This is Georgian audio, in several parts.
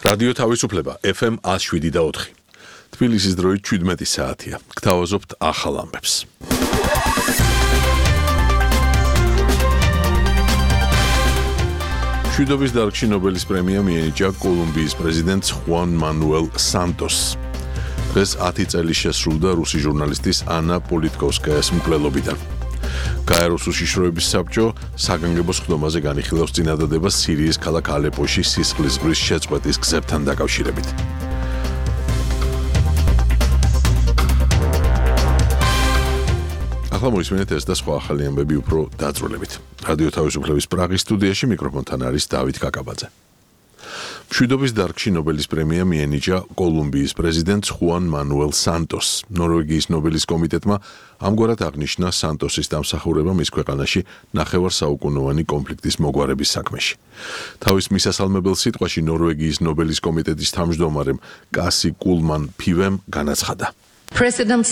რადიო თავისუფლება FM 107.4. თბილისის დროით 17 საათია. გთავაზობთ ახალ ამბებს. მშვიდობის დარგში ნობელის პრემია მიენიჭა კოლუმბიის პრეზიდენტს ხუან მანუელ სანტოსს. დღეს 10 წელი შესრულდა რუსი ჟურნალისტის ანა პოლიტკოვსკაიას მკვლელობიდან. გაეროს უშიშროების საბჭო საგანგებო სხდომაზე განიხილავს წინადადებას სირიის ქალაქ ალეპოში სისხლის ზღვრის შეწყვეტის გზებთან დაკავშირებით. ახლა მოისმენთ ეს და სხვა ახალი ამბები უფრო დაწვრილებით. რადიო თავისუფლების პრაღის სტუდიაში მიკროფონთან არის დავით კაკაბაძე. მშვიდობის დარგში ნობელის პრემია მიენიჭა კოლუმბიის პრეზიდენტს ხუან მანუელ სანტოსს. ნორვეგიის ნობელის კომიტეტმა ამგვარად აღნიშნა სანტოსის დამსახურება მის ქვეყანაში ნახევარსაუკუნოვანი კონფლიქტის მოგვარების საქმეში. თავის მისასალმებელ სიტყვაში ნორვეგიის ნობელის კომიტეტის თავმჯდომარემ კასი კულმან ფივემ განაცხადა. პრეზიდენტ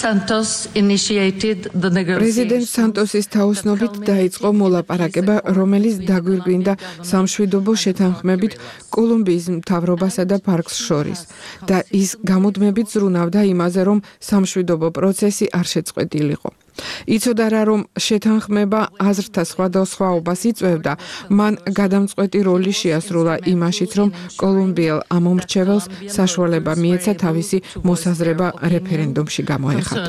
სანტოსის თაოსნობით დაიწყო მოლაპარაკება, რომელიც დაგვირგვინდა სამშვიდობო შეთანხმებით კოლუმბიის მთავრობასა და პარკს შორის და ის გამუდმებით ზრუნავდა იმაზე, რომ სამშვიდობო პროცესი არ შეწყვეტილიყო. იცოდა რა, რომ შეთანხმება აზრთა სხვადასხვაობას იწვევდა, მან გადამწყვეტი როლი შეასრულა იმაშიც, რომ კოლუმბიელ ამომრჩეველს საშუალება მიეცა თავისი მოსაზრება რეფერენდუმში გამოეხატა.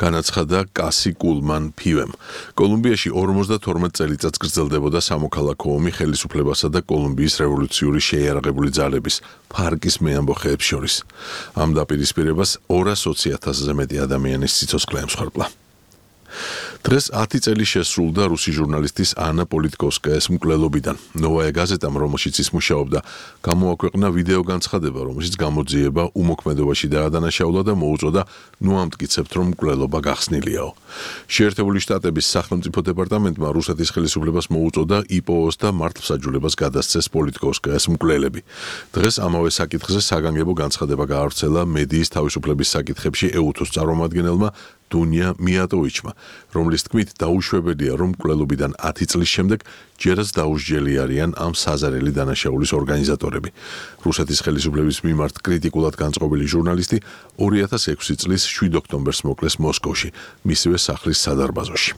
განაცხადა კასი კულმან ფივემ. კოლუმბიაში 52 წელიწადს გრძელდებოდა სამოქალაქო ომი ხელისუფლებასა და კოლუმბიის რევოლუციური შეიარაღებული ძალების ფარკის მეამბოხეებს შორის. ამ დაპირისპირებას 220,000-ზე მეტი ადამიანის სიცოცხლე ემსხვერპლა. დღეს 10 წელი შესრულდა რუსი ჟურნალისტის ანა პოლიტკოვსკაიას მკვლელობიდან. ნოვაია გაზეტამ, რომელშიც ის მუშაობდა, გამოაქვეყნა ვიდეო განცხადება, რომელშიც გამოძიება უმოქმედობაში დაადანაშაულა და მოუწოდა ნუ ამტკიცებთ, რომ მკვლელობა გახსნილიაო. შეერთებული შტატების სახელმწიფო დეპარტამენტმა რუსეთის ხელისუფლებას მოუწოდა იპოვოს და მართლმსაჯულებას გადასცეს პოლიტკოვსკაიას მკვლელები. დღეს ამავე საკითხზე საგანგებო განცხადება გაავრცელა მედიის თავისუფლების საკითხებში ეუთოს წარმომადგენელმა დუნია მიატოვიჩმა, რომლის თქმით დაუშვებელია, რომ მკვლელობიდან 10 წლის შემდეგ ჯერაც დაუსჯელი არიან ამ საზარელი დანაშაულის ორგანიზატორები. რუსეთის ხელისუფლების მიმართ კრიტიკულად განწყობილი ჟურნალისტი 2006 წლის 7 ოქტომბერს მოკლეს მოსკოვში, მისივე სახლის სადარბაზოში.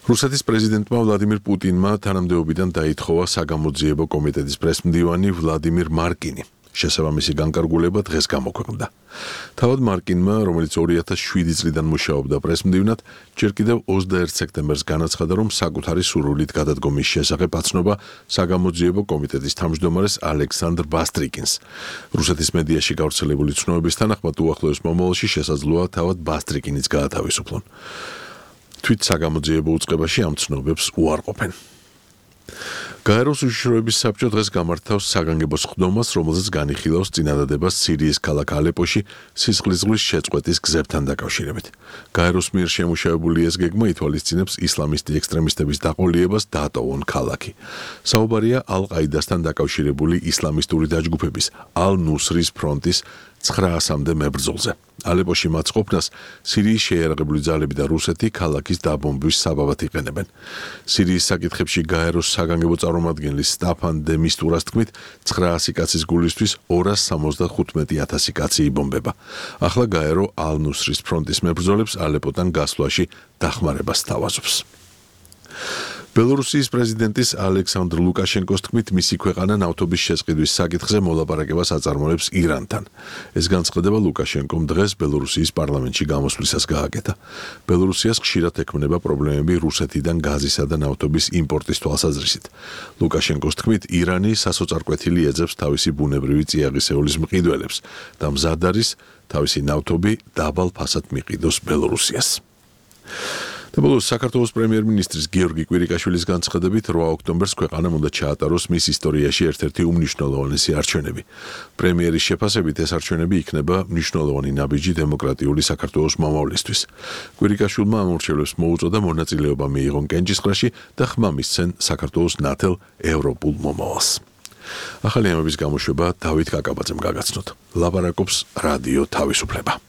რუსეთის პრეზიდენტმა ვლადიმირ პუტინმა თანამდებობიდან დაითხოვა საგამოძიებო კომიტეტის პრესმდივანი ვლადიმირ მარკინი. შესაბამისი განკარგულება დღეს გამოქვეყნდა. თავად მარკინმა, რომელიც 2007 წლიდან მუშაობდა პრესმდივნად, ჯერ კიდევ 21 სექტემბერს განაცხადა, რომ საკუთარი სურვილით გადადგომის შესახებ აცნობა საგამოძიებო კომიტეტის თავმჯდომარეს ალექსანდრ ბასტრიკინს. რუსეთის მედიაში გავრცელებული ცნობების თანახმად უახლოეს მომავალში შესაძლოა თავად ბასტრიკინიც გაათავისუფლონ. თვით საგამოძიებო უწყებაში ამ ცნობებს უარყოფენ. გაეროს უშიშროების საბჭო დღეს გამართავს საგანგებო სხდომას, რომელზეც განიხილავს წინადადებას სირიის ქალაქ ალეპოში სისხლის ზღვრის შეწყვეტის გზებთან დაკავშირებით. გაეროს მიერ შემუშავებული ეს გეგმა ითვალისწინებს ისლამისტი ექსტრემისტების დაყოლიებას დაატოვონ ქალაქი. საუბარია ალ-ყაიდასთან დაკავშირებული ისლამისტური დაჯგუფების ალ-ნუსრის ფრონტის 900-მდე მებრძოლზე. ალეპოში მათ ყოფნას სირიის შეიარაღებული ძალები და რუსეთი ქალაქის დაბომბვის საბაბად იყენებენ. სირიის საკითხებში გაეროს საგანგებო წარმომადგენლის სტაფან დე მისტურას თქმით, 900 კაცის გულისთვის 275,000 კაცი იბომბება. ახლა გაერო ალ-ნუსრის ფრონტის მებრძოლებს ალეპოდან გასვლაში დახმარებას სთავაზობს. ბელორუსიის პრეზიდენტის ალექსანდრ ლუკაშენკოს თქმით, მისი ქვეყანა ნავთობის შესყიდვის საკითხზე მოლაპარაკებას აწარმოებს ირანთან. ეს განცხადება ლუკაშენკომ დღეს ბელორუსიის პარლამენტში გამოსვლისას გააკეთა. ბელორუსიას ხშირად ექმნება პრობლემები რუსეთიდან გაზისა და ნავთობის იმპორტის თვალსაზრისით. ლუკაშენკოს თქმით, ირანი სასოწარკვეთილი ეძებს თავისი ბუნებრივი წიაღისეულის მყიდველებს და მზად არის თავისი ნავთობი დაბალ ფასად მიყიდოს ბელორუსიას. და ბოლოს საქართველოს პრემიერ-მინისტრის გიორგი კვირიკაშვილის განცხადებით 8 ოქტომბერს ქვეყანამ უნდა ჩაატაროს მის ისტორიაში ერთ-ერთი უმნიშვნელოვანესი არჩევნები. პრემიერის შეფასებით ეს არჩევნები იქნება მნიშვნელოვანი ნაბიჯი დემოკრატიული საქართველოს მომავლისთვის. კვირიკაშვილმა ამორჩევლებს მოუწოდა მონაწილეობა მიიღონ კენჭისყრაში და ხმა მისცენ საქართველოს ნათელ ევროპულ მომავალს. ახალი ამბების გამოშვება დავით კაკაბაძემ გაგაცნოთ. ლაპარაკობს რადიო თავისუფლება.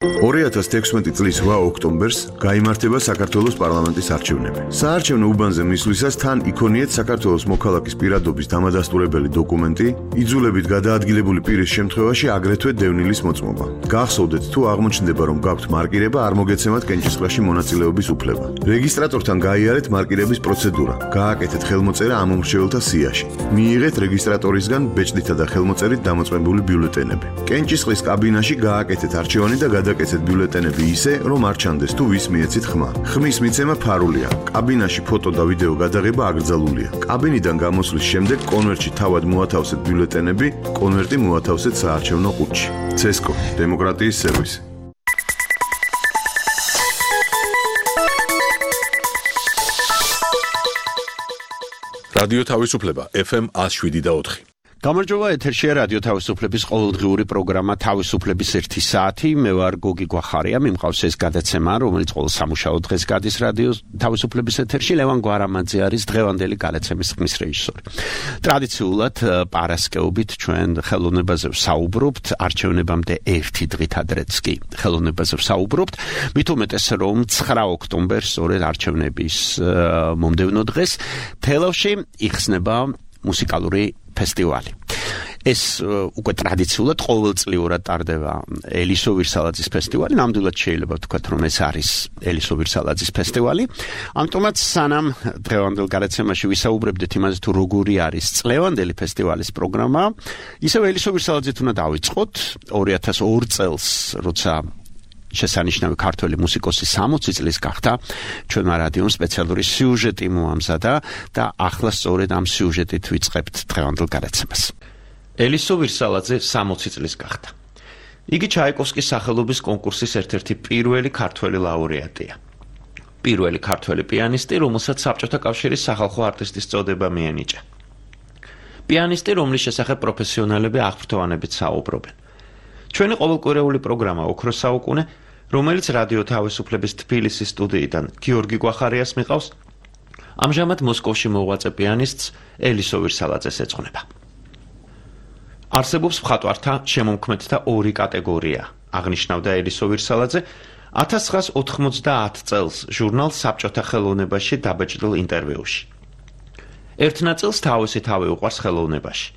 2016 წლის 8 ოქტომბერს გაიმართება საქართველოს პარლამენტის არჩევნები. საარჩევნო უბანზე მისვლისას თან იქონიეთ საქართველოს მოქალაქის პირადობის დამადასტურებელი დოკუმენტი, იძულებით გადაადგილებული პირის შემთხვევაში აგრეთვე დევნილის მოწმობა. გახსოვდეთ, თუ აღმოჩნდება, რომ გაქვთ მარკირება, არ მოგეცემათ კენჭისყრაში მონაწილეობის უფლება. რეგისტრატორთან გაიარეთ მარკირების პროცედურა, გააკეთეთ ხელმოწერა ამ მომრჩეველთა სიაში. მიიღეთ რეგისტრატორისგან ბეჭდითა და ხელმოწერით დამოწმებული ბიულეტენები. კენჭისყრის კაბინაში გააკეთეთ არჩევანი და გადაკეთეთ ბიულეტენები ისე, რომ არ ჩანდეს თუ ვის მიეცით ხმა. ხმის მიცემა ფარულია. კაბინაში ფოტო და ვიდეო გადაღება აკრძალულია. კაბინიდან გამოსვლის შემდეგ კონვერტში თავად მოათავსეთ ბიულეტენები, კონვერტი მოათავსეთ საარჩევნო ყუთში. CESCO, დემოკრატიის სერვისი. რადიო თავისუფლება FM 107.4. გამარჯობა, ეთერშია რადიო თავისუფლების ყოველდღიური პროგრამა თავისუფლების 1 საათი. მე ვარ გოგი გვახარია, მიმყავს ეს გადაცემა, რომელიც ყოველ სამუშაო დღეს გადის რადიო თავისუფლების ეთერში. ლევან გვარამაძე არის დღევანდელი გადაცემის ხმის რეჟისორი. ტრადიციულად პარასკევობით ჩვენ ხელოვნებაზე ვსაუბრობთ, არჩევნებამდე 1 დღით ადრეც კი ხელოვნებაზე ვსაუბრობთ. მით უმეტეს რომ 9 ოქტომბერს სწორედ არჩევნების მომდევნო დღეს თელავში იხსნება მუსიკალური ფესტივალი. ეს უკვე ტრადიციულად ყოველწლიურად ტარდება ელისო ვირსალაძის ფესტივალი. ნამდვილად შეიძლება ვთქვათ, რომ ეს არის ელისო ვირსალაძის ფესტივალი. ამიტომაც სანამ დღევანდელ გადაცემაში ვისაუბრებდით იმაზე, თუ როგორი არის წლევანდელი ფესტივალის პროგრამა, ისევ ელისო ვირსალაძით უნდა დავიწყოთ. 2002 წელს, როცა შესანიშნავი ქართველი მუსიკოსი 60 წლის გახდა, ჩვენმა რადიომ სპეციალური სიუჟეტი მოამზადა და ახლა სწორედ ამ სიუჟეტით ვიწყებთ დღევანდელ გადაცემას. ელისო ვირსალაძე 60 წლის გახდა. იგი ჩაიკოვსკის სახელობის კონკურსის ერთ-ერთი პირველი ქართველი ლაურეატია. პირველი ქართველი პიანისტი, რომელსაც საბჭოთა კავშირის სახალხო არტისტის წოდება მიენიჭა. პიანისტი, რომლის შესახებ პროფესიონალები აღფრთოვანებით საუბრობენ. ჩვენი ყოველკვირეული პროგრამა ოქროს საუკუნე, რომელიც რადიო თავისუფლების თბილისის სტუდიიდან გიორგი გვახარიას მიყავს, ამჟამად მოსკოვში მოღვაწე პიანისტს ელისო ვირსალაძეს ეძღვნება. არსებობს მხატვართა შემომქმედთა 2 კატეგორია, აღნიშნავდა ელისო ვირსალაძე 1990 წელს ჟურნალ საბჭოთა ხელოვნებაში დაბეჭდილ ინტერვიუში. ერთ ნაწილს თავისი თავი უყვარს ხელოვნებაში,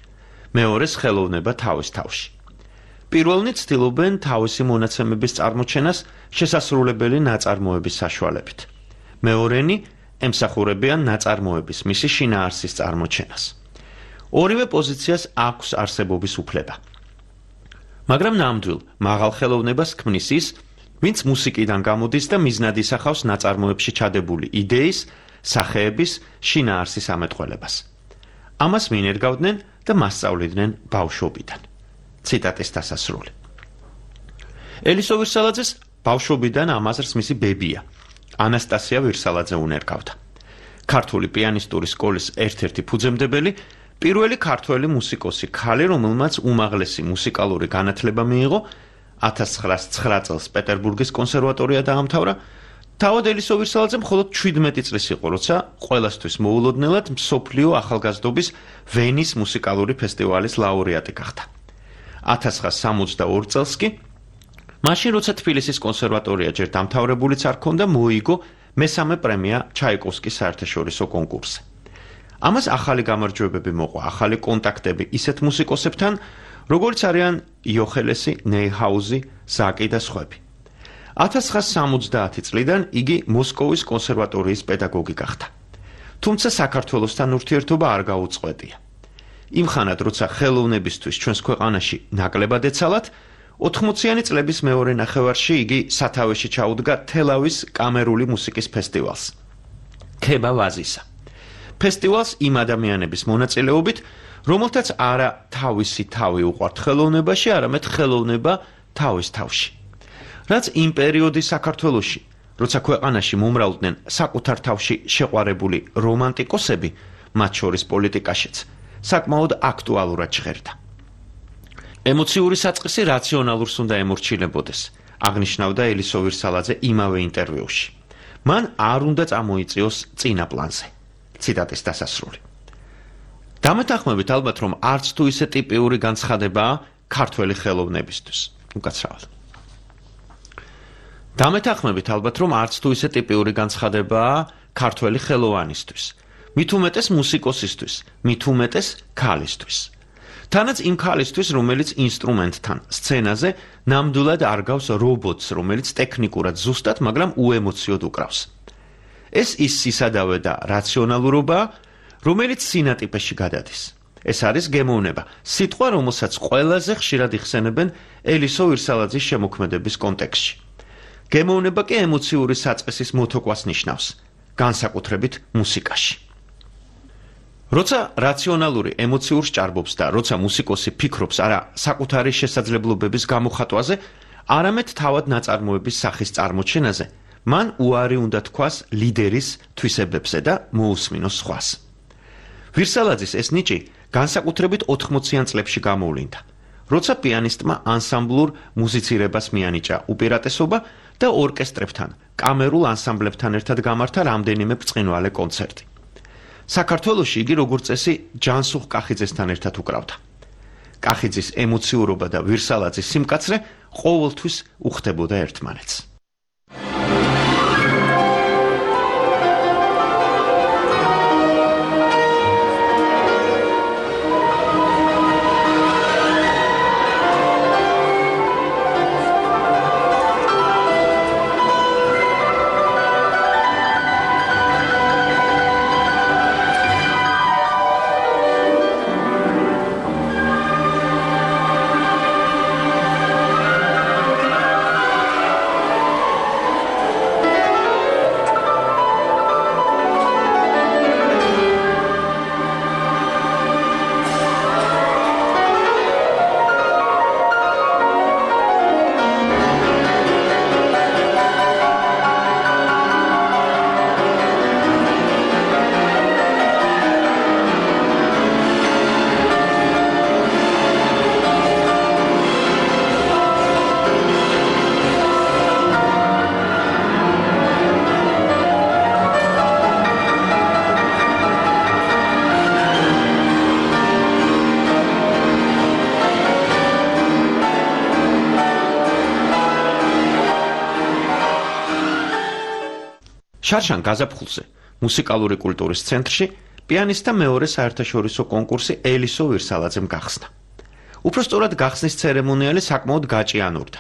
მეორეს ხელოვნება თავის თავში. პირველნი ცდილობენ თავისი მონაცემების წარმოჩენას შესასრულებელი ნაწარმოების საშუალებით. მეორენი ემსახურებიან ნაწარმოების მისი შინაარსის წარმოჩენას. ორივე პოზიციას აქვს არსებობის უფლება. მაგრამ ნამდვილ მაღალ ხელოვნებას ქმნის ის, ვინც მუსიკიდან გამოდის და მიზნად ისახავს ნაწარმოებში ჩადებული იდეის, სახეების, შინაარსის ამეტყველებას. ამას მიინერგავდნენ და მასწავლიდნენ ბავშვობიდან. ციტატის დასასრული. ელისო ვირსალაძეს ბავშვობიდან ამაზრს მისი ბებია, ანასტასია ვირსალაძე უნერგავდა. ქართული პიანისტური სკოლის ერთ-ერთი ფუძემდებელი, პირველი ქართველი მუსიკოსი ქალი, რომელმაც უმაღლესი მუსიკალური განათლება მიიღო, 1909 წელს პეტერბურგის კონსერვატორია დაამთავრა. თავად ელისო ვირსალაძე მხოლოდ 17 წლის იყო, როცა ყველასთვის მოულოდნელად მსოფლიო ახალგაზრდობის ვენის მუსიკალური ფესტივალის ლაურეატი გახდა. 1962 წელს კი, მაშინ როცა თბილისის კონსერვატორია ჯერ დამთავრებულიც არ ქონდა, მოიგო მესამე პრემია ჩაიკოვსკის საერთაშორისო კონკურსზე. ამას ახალი გამარჯვებები მოყვა, ახალი კონტაქტები ისეთ მუსიკოსებთან, როგორც არიან იოხელესი, ნეიჰაუზი, ზაკი და სხვები. 1970 წლიდან იგი მოსკოვის კონსერვატორიის პედაგოგი გახდა. თუმცა საქართველოსთან ურთიერთობა არ გაუწყვეტია. იმ ხანად, როცა ხელოვნებისთვის ჩვენს ქვეყანაში ნაკლებად ეცალათ, 80-იანი წლების მეორე ნახევარში იგი სათავეში ჩაუდგა თელავის კამერული მუსიკის ფესტივალს. ქება ვაზისა. ფესტივალს იმ ადამიანების მონაწილეობით, რომელთაც არა თავისი თავი უყვართ ხელოვნებაში, არამედ ხელოვნება თავის თავში. რაც იმ პერიოდის საქართველოში, როცა ქვეყანაში მომრავლდნენ საკუთარ თავში შეყვარებული რომანტიკოსები, მათ შორის პოლიტიკაშიც, საკმაოდ აქტუალურად ჟღერდა. ემოციური საწყისი რაციონალურს უნდა ემორჩილებოდეს, აღნიშნავდა ელისო ვირსალაძე იმავე ინტერვიუში. მან არ უნდა წამოიწიოს წინა პლანზე. ციტატის დასასრული. დამეთანხმებით ალბათ, რომ არც თუ ისე ტიპიური განცხადებაა ქართველი ხელოვნებისთვის. უკაცრავად. დამეთანხმებით ალბათ რომ არც თუ ისე ტიპიური განცხადებაა ქართველი ხელოვანისთვის, მით უმეტეს მუსიკოსისთვის, მით უმეტეს ქალისთვის. თანაც იმ ქალისთვის, რომელიც ინსტრუმენტთან, სცენაზე ნამდვილად არ გავს რობოტს, რომელიც ტექნიკურად ზუსტად, მაგრამ უემოციოდ უკრავს. ეს ის სისადავე და რაციონალურობაა, რომელიც სინატიპეში გადადის. ეს არის გემოვნება, სიტყვა, რომელსაც ყველაზე ხშირად იხსენებენ ელისო ვირსალაძის შემოქმედების კონტექსტში. გემოვნება კი ემოციური საწყისის მოთოკვას ნიშნავს, განსაკუთრებით მუსიკაში. როცა რაციონალური ემოციურს ჭარბობს და როცა მუსიკოსი ფიქრობს არა საკუთარი შესაძლებლობების გამოხატვაზე, არამედ თავად ნაწარმოების სახის წარმოჩენაზე, მან უარი უნდა თქვას ლიდერის თვისებებზე და მოусმინოს სხვას. ვირსალაძის ეს ნიჭი განსაკუთრებით 80-იან წლებში გამოვლინდა, როცა პიანისტმა ანსამბლურ მუსიცირებას მიანიჭა უპირატესობა და ორკესტრებთან, კამერულ ანსამბლებთან ერთად გამართა რამდენიმე ბრწყინვალე კონცერტი. საქართველოში იგი როგორც წესი ჯანსუღ კახიძესთან ერთად უკრავდა. კახიძის ემოციურობა და ვირსალაძის სიმკაცრე ყოველთვის უხდებოდა ერთმანეთს. შარშან გაზაფხულზე, მუსიკალური კულტურის ცენტრში, პიანისტთა მეორე საერთაშორისო კონკურსი ელისო ვირსალაძემ გახსნა. უпростоრად გახსნის ცერემონიალი საკმაოდ გაჭიანურდა.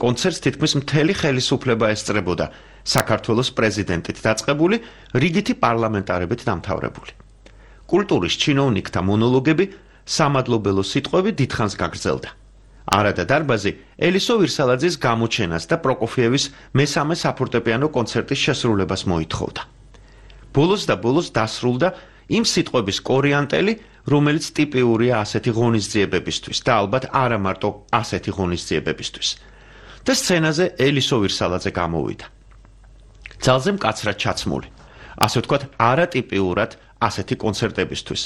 კონცერტს თითქმის მთელი ხელისუფლება ესწრებოდა, საქართველოს პრეზიდენტით დაწყებული, რიგითი პარლამენტარებით დამთავრებული. კულტურის ჩინოვნიკთა მონოლოგები, სამადლობელო სიტყვები დიდხანს გაგრძელდა. არადა დარბაზი ელისო ვირსალაძის გამოჩენას და პროკოფიევის მესამე საფორტეპიანო კონცერტის შესრულებას მოითხოვდა. ბოლოს და ბოლოს დასრულდა იმ სიტყვების კორიანტელი, რომელიც ტიპიურია ასეთი ღონისძიებებისთვის და ალბათ არა მარტო ასეთი ღონისძიებებისთვის. და სცენაზე ელისო ვირსალაძე გამოვიდა. ძალზე მკაცრად ჩაცმული, ასე ვთქვათ, არატიპიურად ასეთი კონცერტებისთვის.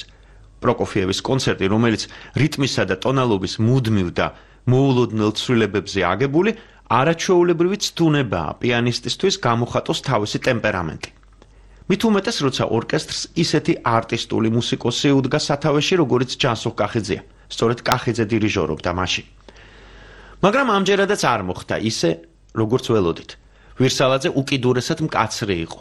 პროკოფიევის კონცერტი, რომელიც რიტმისა და ტონალობის მუდმივ და მოულოდნელ ცვლილებებზე აგებული, არაჩვეულებრივი ცდუნებაა პიანისტისთვის გამოხატოს თავისი ტემპერამენტი. მით უმეტეს, როცა ორკესტრს ისეთი არტისტული მუსიკოსი უდგა სათავეში, როგორც ჯანსუღ კახიძეა, სწორედ კახიძე დირიჟორობდა მაშინ. მაგრამ ამჯერადაც არ მოხდა ისე, როგორც ველოდით. ვირსალაძე უკიდურესად მკაცრი იყო.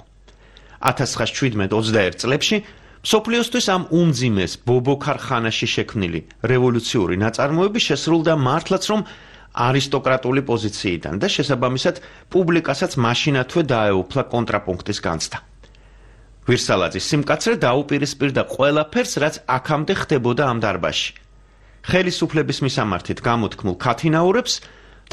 1917-21 წლებში მსოფლიოსთვის ამ უმძიმეს ბობოქარ ხანაში შექმნილი რევოლუციური ნაწარმოები შესრულდა მართლაც რომ არისტოკრატული პოზიციიდან და შესაბამისად პუბლიკასაც მაშინათვე დაეუფლა კონტრაპუნქტის განცდა. ვირსალაძის სიმკაცრე დაუპირისპირდა ყველაფერს, რაც აქამდე ხდებოდა ამ დარბაზში. ხელისუფლების მისამართით გამოთქმულ ქათინაურებს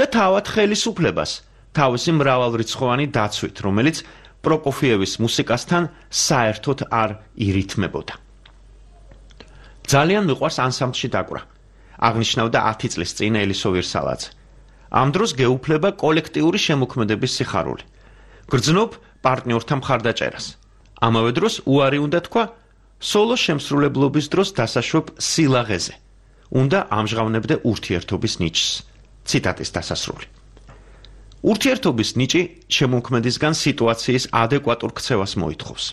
და თავად ხელისუფლებას თავისი მრავალრიცხოვანი დაცვით, რომელიც პროკოფიევის მუსიკასთან საერთოდ არ ირითმებოდა. ძალიან მიყვარს ანსამბლში დაკვრა. აღნიშნავდა 10 წლის წინ ელისო ვირსალაძე. ამ დროს გეუფლება კოლექტიური შემოქმედების სიხარული. გრძნობ პარტნიორთა მხარდაჭერას. ამავე დროს უარი უნდა თქვა სოლო შემსრულებლობის დროს დასაშვებ სილაღეზე. უნდა ამჟღავნებდე ურთიერთობის ნიჭს. ციტატის დასასრული. ურთიერთობის ნიჭი შემოქმედისგან სიტუაციის ადეკვატურ ქცევას მოითხოვს.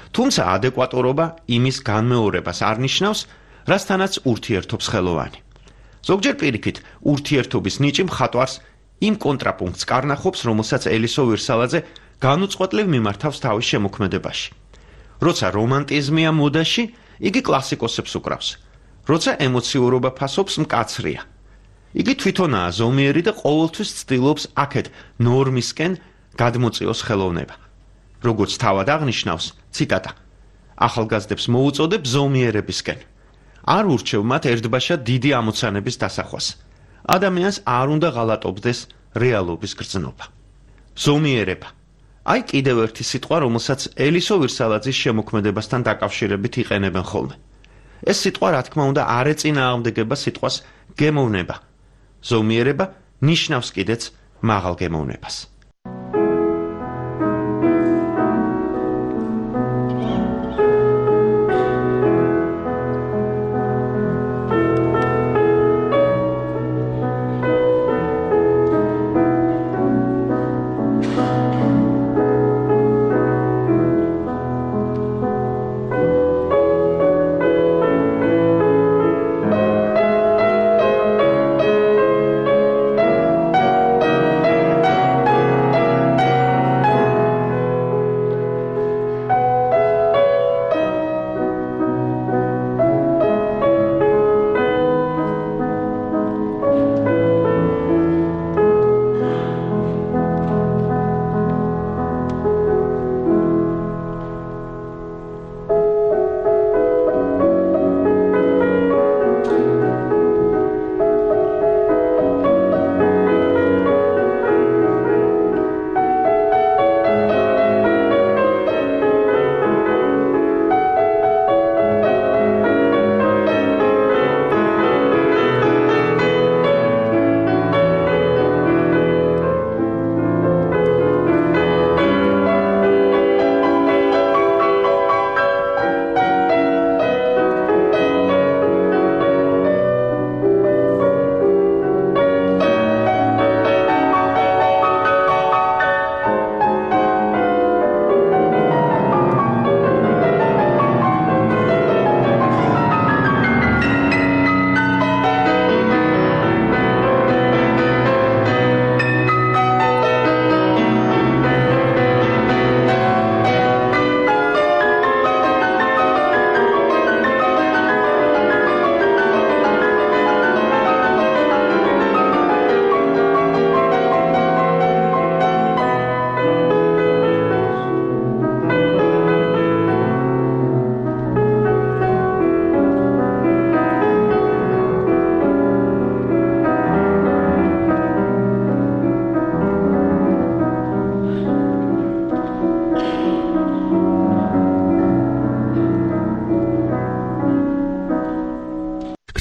თუმცა ადეკვატურობა იმის განმეორებას არ ნიშნავს, რასთანაც ურთიერთობს ხელოვანი. ზოგჯერ პირიქით, ურთიერთობის ნიჭი მხატვარს იმ კონტრაპუნქტს კარნახობს, რომელსაც ელისო ვირსალაძე განუწყვეტლივ მიმართავს თავის შემოქმედებაში. როცა რომანტიზმია მოდაში, იგი კლასიკოსებს უკრავს. როცა ემოციურობა ფასობს, მკაცრია. იგი თვითონაა ზომიერი და ყოველთვის ცდილობს აქეთ ნორმისკენ გადმოწიოს ხელოვნება. როგორც თავად აღნიშნავს, ციტატა: ახალგაზრდებს მოუწოდებ ზომიერებისკენ. არ ურჩევ მათ ერთბაშად დიდი ამოცანების დასახვას. ადამიანს არ უნდა ღალატობდეს რეალობის გრძნობა. ზომიერება. აი კიდევ ერთი სიტყვა, რომელსაც ელისო ვირსალაძის შემოქმედებასთან დაკავშირებით იყენებენ ხოლმე. ეს სიტყვა, რა თქმა უნდა, არ ეწინააღმდეგება სიტყვას გემოვნება. ზომიერება ნიშნავს კიდეც მაღალ გემოვნებას.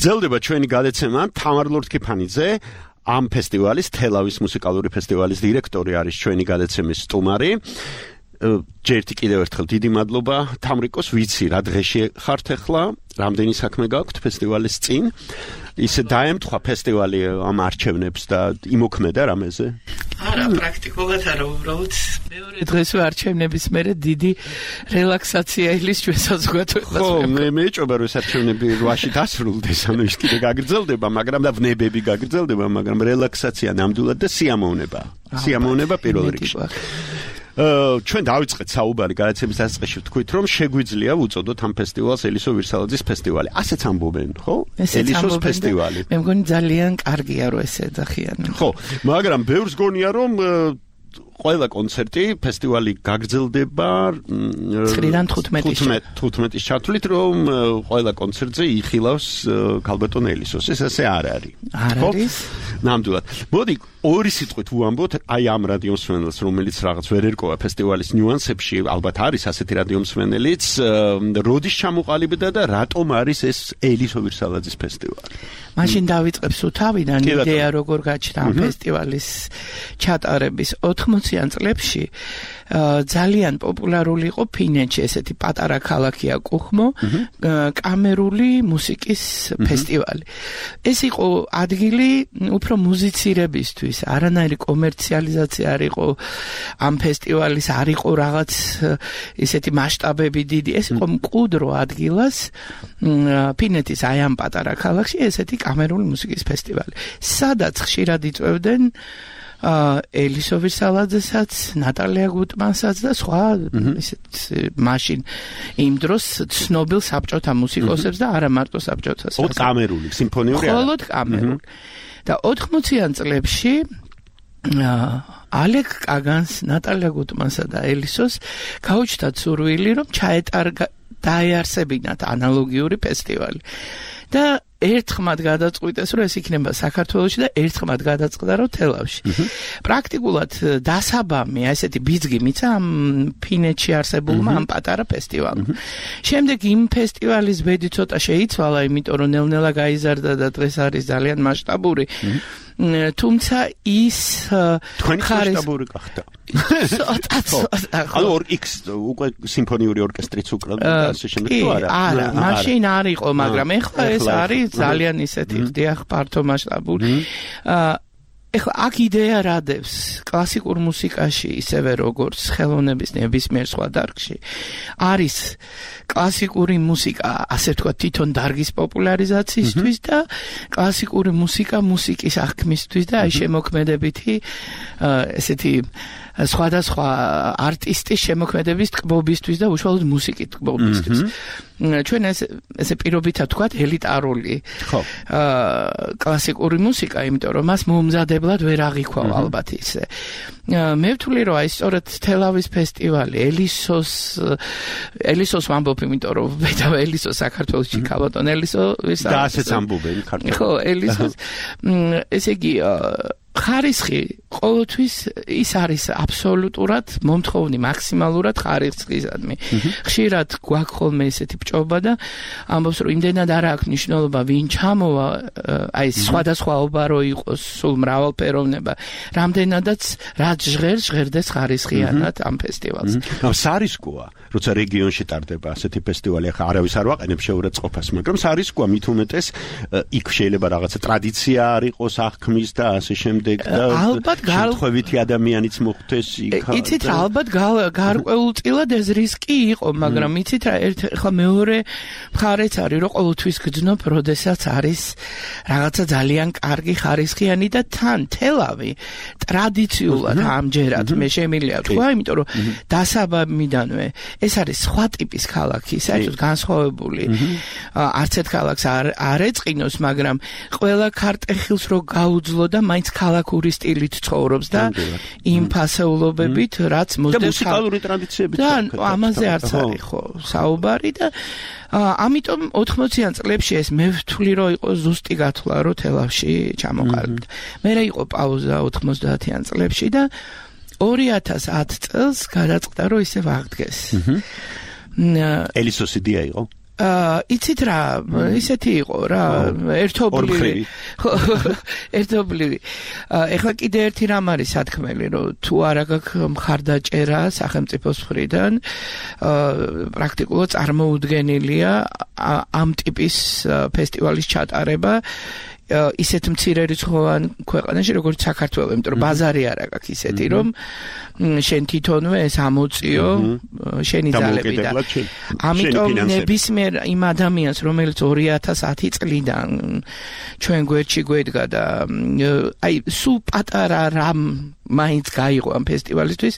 გრძელდება ჩვენი გადაცემა. თამარ ლორთქიფანიძე, ამ ფესტივალის, თელავის მუსიკალური ფესტივალის დირექტორი არის ჩვენი გადაცემის სტუმარი. ჯერტი კიდევ ერთხელ დიდი მადლობა თამრიკოს, ვიცი რა დღეში ხართ ახლა, რამდენი საქმე გაქვთ ფესტივალის წინ. ისე დაემთხვა ფესტივალი ამ არჩევნებს და იმოქმედა რამეზე? არა, პრაქტიკულად არა, უბრალოდ მეორე დღეს არჩევნების მერე დიდი რელაქსაცია ილის ჩვენ საზოგადოებას. ხო, მე მეჭობა რომ ეს არჩევნები 8-ში დასრულდეს, ანუ ის კიდე გაგრძელდება, მაგრამ და ვნებები გაგრძელდება, მაგრამ რელაქსაცია ნამდვილად და სიამოვნება. სიამოვნება პირველ რიგში. ჩვენ დავიწყეთ საუბარი გადაცემის დასაწყისში ვთქვით, რომ შეგვიძლია ვუწოდოთ ამ ფესტივალს ელისო ვირსალაძის ფესტივალი. ასეც ამბობენ, ხო? ელისოს ფესტივალი. მე მგონი ძალიან კარგია რომ ესე ეძახიან. ხო, მაგრამ ბევრს გონია რომ ყველა კონცერტი ფესტივალი გაგრძელდება 9-დან 15-ის ჩათვლით, რომ ყველა კონცერტზე იხილავს ქალბატონ ელისოს. ეს ასე არ არის. არ არის. ნამდვილად. მოდი ორი სიტყვით ვუამბოთ აი ამ რადიომსმენელს, რომელიც რაღაც ვერ ერკვა ფესტივალის ნიუანსებში, ალბათ არის ასეთი რადიომსმენელიც, როდის ჩამოყალიბდა და რატომ არის ეს ელისო ვირსალაძის ფესტივალი? მაშინ დავიწყებ სუთავიდან იდეა როგორ გაჩნდა ამ ფესტივალის ჩატარების 80-იან წლებში. ძალიან პოპულარული იყო ფინეთში ესეთი პატარა ქალაქია კუხმო, კამერული მუსიკის ფესტივალი. ეს იყო ადგილი უფრო მუსიცირებისთვის, არანაირი კომერციალიზაცია არ იყო ამ ფესტივალის, არ იყო რაღაც ესეთი მასშტაბები დიდი, ეს იყო მკვდრო ადგილას ფინეთის აი ამ პატარა ქალაქში ესეთი კამერული მუსიკის ფესტივალი. სადაც ხშირად იწვევდნენ ელისო ვირსალაძესაც, ნატალია გუტმანსაც და სხვა ისეთ მაშინ იმ დროს ცნობილ საბჭოთა მუსიკოსებს და არა მარტო საბჭოთა. მხოლოდ კამერული, სიმფონიური არა. მხოლოდ კამერული. და 80-იან წლებში ალეკ კაგანს, ნატალია გუტმანსა და ელისოს გაუჩნდათ სურვილი, რომ დაეარსებინათ ანალოგიური ფესტივალი. და ერთხმად გადაწყვიტეს, რომ ეს იქნება საქართველოში და ერთხმად გადაწყდა, რომ თელავში. პრაქტიკულად დასაბამი, ესეთი ბიძგი მიცა ამ ფინეთში არსებულმა ამ პატარა ფესტივალმა. შემდეგ იმ ფესტივალის ბედი ცოტა შეიცვალა, იმიტომ რომ ნელ-ნელა გაიზარდა და დღეს არის ძალიან მასშტაბური. თუმცა ის თქვენი მასშტაბური გახდა. ანუ X უკვე სიმფონიური ორკესტრიც უკრავდა და ასე შემდეგ თუ არა? არა, მაშინ არ იყო, მაგრამ ეხლა ეს არის ძალიან ისეთი ხდიახ ფართო მასშტაბური. ეხლა აქ იდეა რადევს კლასიკურ მუსიკაში ისევე როგორც ხელოვნების ნებისმიერ სხვა დარგში არის კლასიკური მუსიკა ასე ვთქვათ თვითონ დარგის პოპულარიზაციისთვის და კლასიკური მუსიკა მუსიკის აღქმისთვის და აი შემოქმედებითი ესეთი სხვადასხვა არტისტის შემოქმედების ტკბობისთვის და უშუალოდ მუსიკის ტკბობისთვის. ჩვენ ესე პირობითად ვთქვათ ელიტარული კლასიკური მუსიკა, იმიტომ რომ მას მომზადებლად ვერ აღიქვავ ალბათ ისე. მე ვთვლი რომ აი სწორედ თელავის ფესტივალი ელისოს ვამბობ, იმიტომ რომ და ელისო საქართველოში ქალბატონ ელისო და ასეც ამბობენ ქართულად. ხო, ელისოს ესე იგი ხარისხი ყოველთვის ის არის აბსოლუტურად მომთხოვნი, მაქსიმალურად ხარისხისადმი. ხშირად გვაქვს ხოლმე ესეთი ბჭობა და ამბობს რომ იმდენად არ აქვს მნიშვნელობა ვინ ჩამოვა, აი სხვადასხვაობა რო იყოს სულ მრავალფეროვნება, რამდენადაც რაც ჟღერდეს ხარისხიანად ამ ფესტივალს. სარისკოა, როცა რეგიონში ტარდება ასეთი ფესტივალი, ახლა არავის არ ვაყენებს შეურაცხყოფას, მაგრამ სარისკოა მით უმეტეს იქ შეიძლება რაღაცა ტრადიცია არ იყოს აღქმის და ასე შემდეგ. ალბათ შემთხვევითი ადამიანიც მოხდეს იქ. იცით რა, ალბათ გარკვეულწილად ეს რისკი იყო, მაგრამ იცით რა, ახლა მეორე მხარეც არის, რომ ყოველთვის გძნობ, როდესაც არის რაღაცა ძალიან კარგი ხარისხიანი და თან თელავი ტრადიციულად ამჯერად მე შემიძლია თქვა, იმიტომ რომ დასაბამიდანვე ეს არის სხვა ტიპის ქალაქი, საერთოდ განსხვავებული. არც ერთ ქალაქს არ ეწყინოს, მაგრამ ყველა ქარტეხილს რო გაუძლო და მაინც ქალაქური სტილით ცხოვრობს და იმ ფასეულობებით, რაც და მუსიკალური ტრადიციებით. და ამაზე არც არის ხო საუბარი და ამიტომ 80-იან წლებში ეს მე ვთვლი რომ იყო ზუსტი გათვლა რომ თელავში ჩამოყალიბდა. მერე იყო პაუზა 90-იან წლებში და 2010 წელს გადაწყდა რომ ისევ აღდგეს. ელისოს იდეა იყო? იცით რა, ისეთი იყო რა, ერთობლივი. ეხლა კიდე ერთი რამ არის სათქმელი, რომ თუ არა გაქვს მხარდაჭერა სახელმწიფოს მხრიდან, პრაქტიკულად წარმოუდგენელია ამ ტიპის ფესტივალის ჩატარება ისეთ მცირე რიცხოვან ქვეყანაში, როგორც საქართველო, იმიტომ რომ ბაზარი არ აქვს ისეთი, რომ შენ თვითონვე ეს ამოწიო შენი ძალებიდან. ამიტომ ნებისმიერ იმ ადამიანს, რომელიც 2010 წლიდან ჩვენ გვერდში გვედგა და აი სულ პატარა რამ მაინც გაიღო ამ ფესტივალისთვის,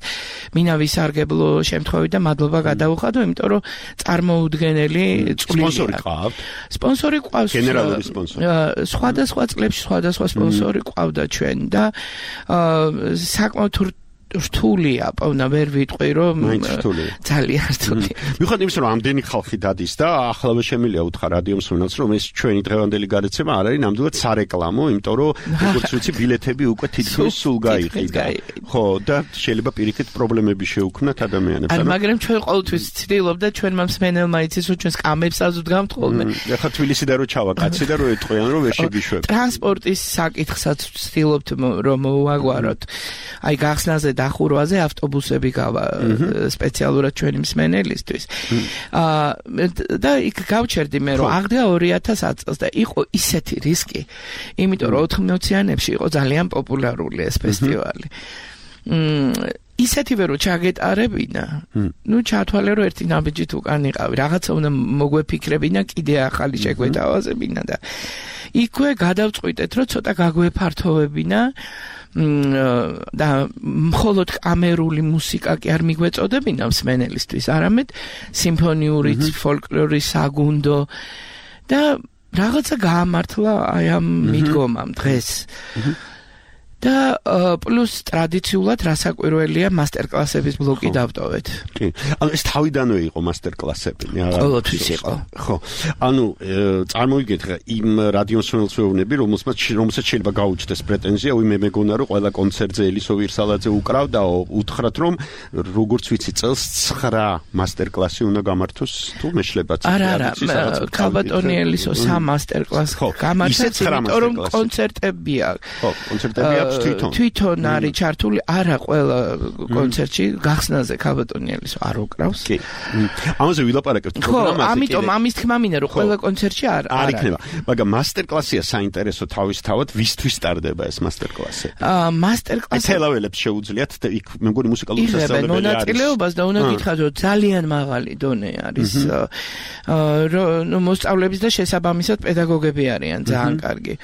მინა ვისარგებლო შემთხვევით და მადლობა გადაუხადო, იმიტომ რომ წარმოუდგენელი წვლილია. სპონსორი ყავთ? სპონსორი ყავს. გენერალური სპონსორი. სხვადასხვა წლებში სხვადასხვა სპონსორი ყავდა ჩვენ და საკმაოდ რთულია, პოვნა ვერ ვიტყვი რომ ძალიან რთულია. მიუხედავად იმისა, რომ ამდენი ხალხი დადის და ახლავე შემიძლია უთხრა რადიო მსმენელს, რომ ეს ჩვენი დღევანდელი გადაცემა არ არის ნამდვილად სარეკლამო, იმიტომ რომ როგორც ვიცი, ბილეთები უკვე თითქმის სულ გაიყიდა. ხო, და შეიძლება პირიქით პრობლემები შეუქმნათ ადამიანებს. მაგრამ ჩვენ ყოველთვის ვცდილობდა ჩვენმა მსმენელმა იცის, რომ ჩვენ სკამებს აზუდგამთ ხოლმე. ახლა თბილისიდან რო ჩავა კაცი და რო ეტყვიან, რომ ვერ შეგიშვებ. ტრანსპორტის საკითხსაც ვცდილობთ რომ მოვაგვაროთ. აი გახსნაზე დახურვაზე ავტობუსები გავა სპეციალურად ჩვენი მსმენელისთვის. და იქ გავჩერდი მე რომ აღდგა 2010 წელს და იყო ისეთი რისკი, იმიტომ რომ 80-იანებში იყო ძალიან პოპულარული ეს ფესტივალი. ისეთივე რომ ჩაგეტარებინა, ნუ ჩათვალე რომ ერთი ნაბიჯით უკან იყავი, რაღაცა უნდა მოგვეფიქრებინა, კიდე ახალი შეგვეთავაზებინა და იქვე გადავწყვიტეთ რომ ცოტა გაგვეფართოვებინა და მხოლოდ კამერული მუსიკა კი არ მიგვეწოდებინა მსმენელისთვის, არამედ სიმფონიური, ფოლკლორის, საგუნდო და რაღაცა გაამართლა აი ამ მიდგომამ დღეს. და პლუს ტრადიციულად რასაკვირველია მასტერკლასების ბლოკი დავტოვეთ. კი. ანუ ეს თავიდანვე იყო მასტერკლასები, რა. ყოველთვის იყო. ხო. ანუ წარმოვიდგეთ ხა იმ რადიომსმენელს ვეუბნები, რომელსაც შეიძლება გაუჩნდეს პრეტენზია, მე მეგონა რომ ყველა კონცერტზე ელისო ვირსალაძე უკრავდაო, უთხრათ რომ როგორც ვიცი წელს 9 მასტერკლასი უნდა გამართოს, თუ მეშლებაც არა, ქალბატონი ელისო 3 მასტერკლასს გამართა, იმიტომ რომ კონცერტებია. ხო, კონცერტებია თვითონ არის ჩართული არა ყველა კონცერტში გახსნაზე ქალბატონი ელისო არ უკრავს. კი. ამაზე ვილაპარაკებთ პროგრამაზე. ხო, ამიტომ ამის თქმა მინდა რომ ყველა კონცერტში არ იქნება. მაგრამ მასტერკლასია საინტერესო თავისთავად, ვისთვის ტარდება ეს მასტერკლასი? მასტერკლასი თელაველებს შეუძლიათ იქ მე მგონი მუსიკალური სასწავლებელი არის. მონაწილეობას და უნდა გითხრათ რომ ძალიან მაღალი დონე არის. მოსწავლეების და შესაბამისად პედაგოგები არიან ძალიან კარგი.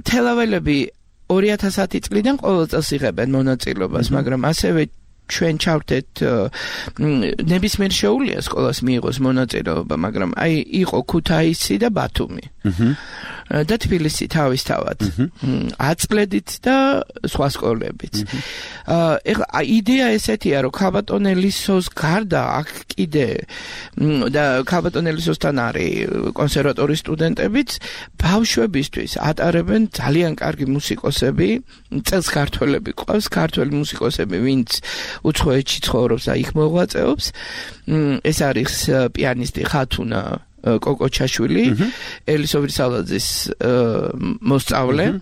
თელაველები 2010 წლიდან ყოველ წელს იღებენ მონაწილეობას, მაგრამ ასევე ჩვენ ჩავთეთ ნებისმიერ შეუძლია სკოლას მიიღოს მონაწილეობა, მაგრამ აი იყო ქუთაისი და ბათუმი. და თბილისი თავისთავად. აწლედით და სხვა სკოლებიც. ეხლა იდეა ესეთია, რომ ქალბატონ ელისოს გარდა აქ კიდე და ქალბატონ ელისოსთან არის კონსერვატორის სტუდენტებიც ბავშვებისთვის ატარებენ ძალიან კარგი მუსიკოსები, წელს ქართველები ყავს, ქართველი მუსიკოსები, ვინც უცხოეთში ცხოვრობს და იქ მოღვაწეობს. ეს არის პიანისტი ხათუნა კოკოჩაშვილი, ელისო ვირსალაძის მოსწავლე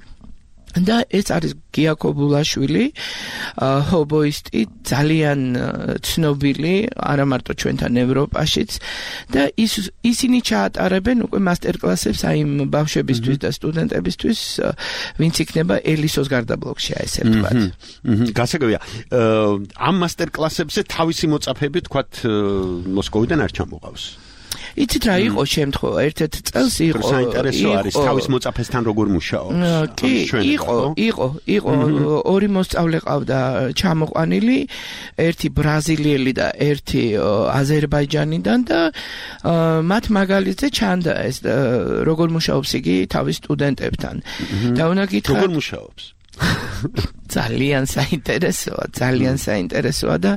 და ეს არის გიაკობულაშვილი, ჰობოისტი, ძალიან ცნობილი, არა მარტო ჩვენთან ევროპაშიც და ისინი ჩაატარებენ უკვე მასტერკლასებს აი იმ ბავშვებისთვის და სტუდენტებისთვის, ვინც იქნება ელისოს გარდაბლოკში, ესე ვთქვათ. გასაგებია, ამ მასტერკლასებზე თავისი მოწაფეები, თქვათ, მოსკოვიდან არ ჩამოყავს. იცით რა იყო შემთხვევა, ერთ-ერთ წელს იყო საინტერესო არის თავის მოწაფესთან როგორ მუშაობს. კი, იყო ორი მოსწავლე ყავდა ჩამოყვანილი, ერთი ბრაზილიელი და ერთი აზერბაიჯანიდან და მათ მაგალითზე ჩანდა ეს როგორ მუშაობს იგი თავის სტუდენტებთან. და უნდა გითხრათ როგორ მუშაობს? ძალიან საინტერესოა და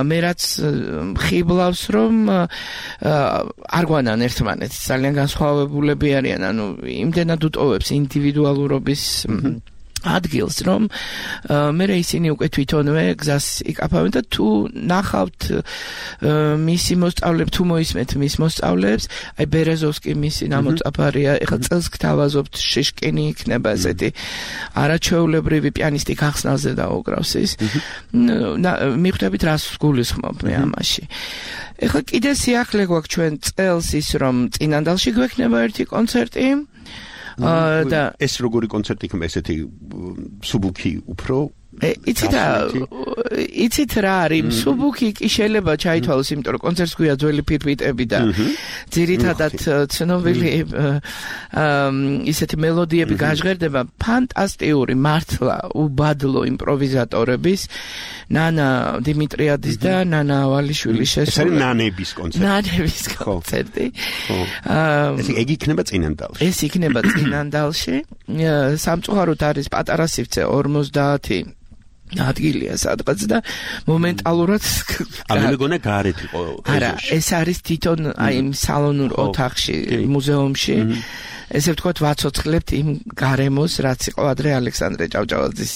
მე რაც ხიბლავს რომ არ გვანან ერთმანეთს, ძალიან განსხვავებულები არიან, ანუ იმდენად უტოვებს ინდივიდუალურობის ადგილს, რომ მე ისინი უკვე თვითონვე გზას იკაფავენ და თუ ნახავთ მისი მოსწავლეებს, თუ მოისმენთ მის მოსწავლეებს, აი ბერეზოვსკი მისი ნამოწაფარია, ეხლა წელს გთავაზობთ შიშკინი იქნება ესეთი არაჩვეულებრივი პიანისტი გახსნაზე დაუკრავს ის. მიხვდებით რას გულისხმობ მე ამაში. ეხლა კიდე სიახლე გვაქვს ჩვენ წელს ის რომ წინანდალში გვექნება ერთი კონცერტი. და ეს როგორი კონცერტი იქნება, ესეთი სუბუქი უფრო იცით რა არის, სუბუქი კი შეიძლება ჩაითვალოს, იმიტომ რომ კონცერტს გვია ძველი ფირფიტები და ძირითადად ცნობილი ისეთი მელოდიები გაჟღერდება, ფანტასტიკური მართლა უბადლო იმპროვიზატორების, ნანა დიმიტრიადის და ნანა ავალიშვილის ეს არის ნანების კონცერტი. ნანების კონცერტი. ეს იქნება წინანდალში. ეს იქნება წინანდალში. სამწუხაროდ არის პატარა სივრცე 50 ადგილია სადღაც და მომენტალურად ამეგონა გარეთ იყო არა, ეს არის თვითონ აი იმ სალონურ ოთახში, მუზეუმში. ესე ვთქვათ, ვაცოცხლებთ იმ გარემოს, რაც იყო ადრე ალექსანდრე ჭავჭავაძის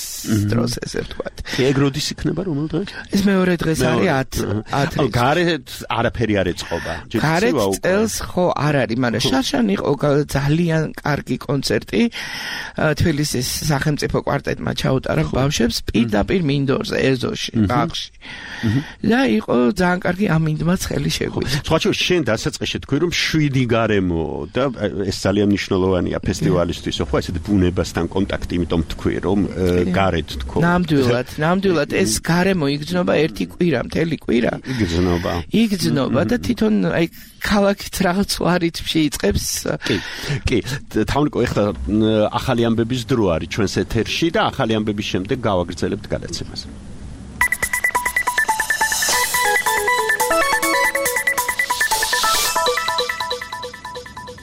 დროს, ესე ვთქვათ. ეგ როდის იქნება, რომელ დღეს? ეს მეორე დღეს არის 10. გარეთ არაფერი არ ეწყობა. გარეთ წელს ხო არ არის, მაგრამ შარშან იყო ძალიან კარგი კონცერტი. თბილისის სახელმწიფო კვარტეტმა ჩაუტარა ბავშვებს პირდაპირ მინდორზე, ეზოში, ბაღში. და იყო ძალიან კარგი ამინდმაც ხელი შეგვიდა. სხვა შენ დასაწყისში თქვი რომ 7 გარემო და ეს ძალიან მნიშვნელოვანია ფესტივალისთვის, ხო, ესეთ ბუნებასთან კონტაქტი, იმიტომ თქვი რომ გარეთ თქო. ნამდვილად ეს გარემო იგრძნობა ერთი კვირა, მთელი კვირა. იგრძნობა და თვითონ აი ქალაქით რაღაც რიტმში იწყებს. კი, თავნიკო, ეხლა ახალი ამბების დრო არის ჩვენს ეთერში და ახალი ამბების შემდეგ გავაგრძელებთ გადაცემას.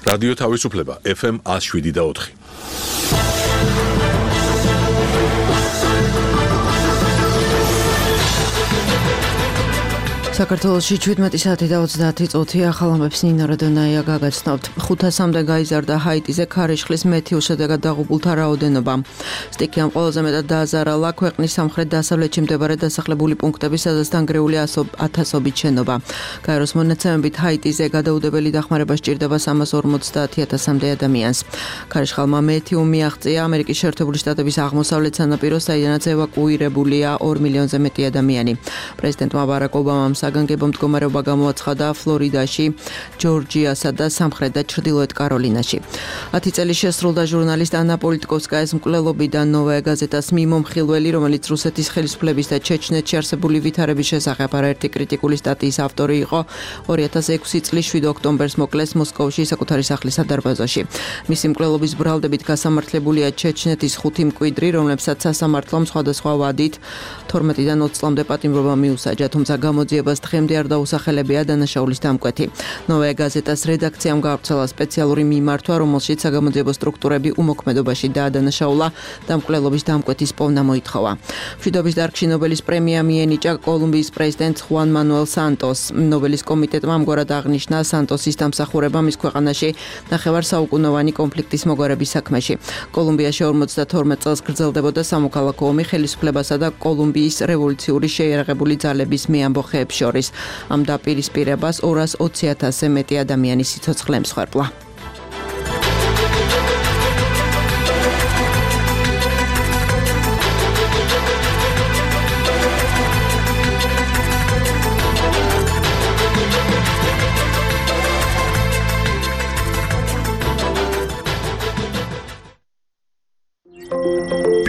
რადიო თავისუფლება FM 107.4. საქართველოში 17 საათი და 30 წუთი ახალ ამბებს ნინო როდონაია გაგაცნობთ. 500-მდე გაიზარდა ჰაიტიზე ქარიშხლის მეთიურ შედეგად დაღუპულთა რაოდენობა. სტიქიამ ყველაზე მეტად დააზარალა ქვეყნის სამხრეთ-დასავლეთში მდებარე დასახლებული პუნქტები, სადაც დანგრეული ათასობით შენობა. გაეროს მონაცემებით ჰაიტიზე გადაუდებელი დახმარება სჭირდება 350,000-მდე ადამიანს. ქარიშხალმა მეთიუ მიაღწია ამერიკის შეერთებული შტატების აღმოსავლეთ სანაპიროს, საიდანაც ევაკუირებულია 2 მილიონზე მეტი ადამიანი. პრეზიდენტმა ბარაკ ობამამ საგანგებო მდგომარეობა გამოაცხადა ფლორიდაში, ჯორჯიასა და სამხრეთ და ჩრდილოეთ კაროლინაში. 10 წელი შესრულდა ჟურნალისტ ანა პოლიტკოვსკაის მკვლელობიდან ნოვაია გაზეტას მიმომხილველი, რომელიც რუსეთის ხელისუფლების და ჩეჩნეთში არსებული ვითარების შესახებ არაერთი კრიტიკული სტატიის ავტორი იყო. 2006 წლის 7 ოქტომბერს მოკლეს მოსკოვში საკუთარი სახლის სადარბაზოში. მისი მკვლელობის ბრალდებით გასამართლებულია ჩეჩნეთის 5 მკვიდრი, რომლებსაც სასამართლომ სხვადასხვა ვადით 12-დან 20 წლამდე პატიმრობა მიუსაჯა, თუმცა გამოძიებას დღემდე არ დაუსახელებია დანაშაულის დამკვეთი. ნოვაია გაზეტას რედაქციამ გაავრცელა სპეციალური მიმართვა, რომელშიც საგამოძიებო სტრუქტურები უმოქმედობაში დაადანაშაულა და მკვლელობის დამკვეთის პოვნა მოითხოვა. მშვიდობის დარგში ნობელის პრემია მიენიჭა კოლუმბიის პრეზიდენტ ხუან მანუელ სანტოს. ნობელის კომიტეტმა ამგვარად აღნიშნა სანტოსის დამსახურება მის ქვეყანაში ნახევარ საუკუნოვანი კონფლიქტის მოგვარების საქმეში. კოლუმბიაში 52 წელს გრძელდებოდა სამოქალაქო ომი ხელისუფლებასა და კოლუმბიის რევოლუციური შეიარაღებული ძალების მეამბოხეებს შორის. ამ დაპირისპირებას 220,000-ზე მეტი ადამიანი სიცოცხლე ემსხვერპლა.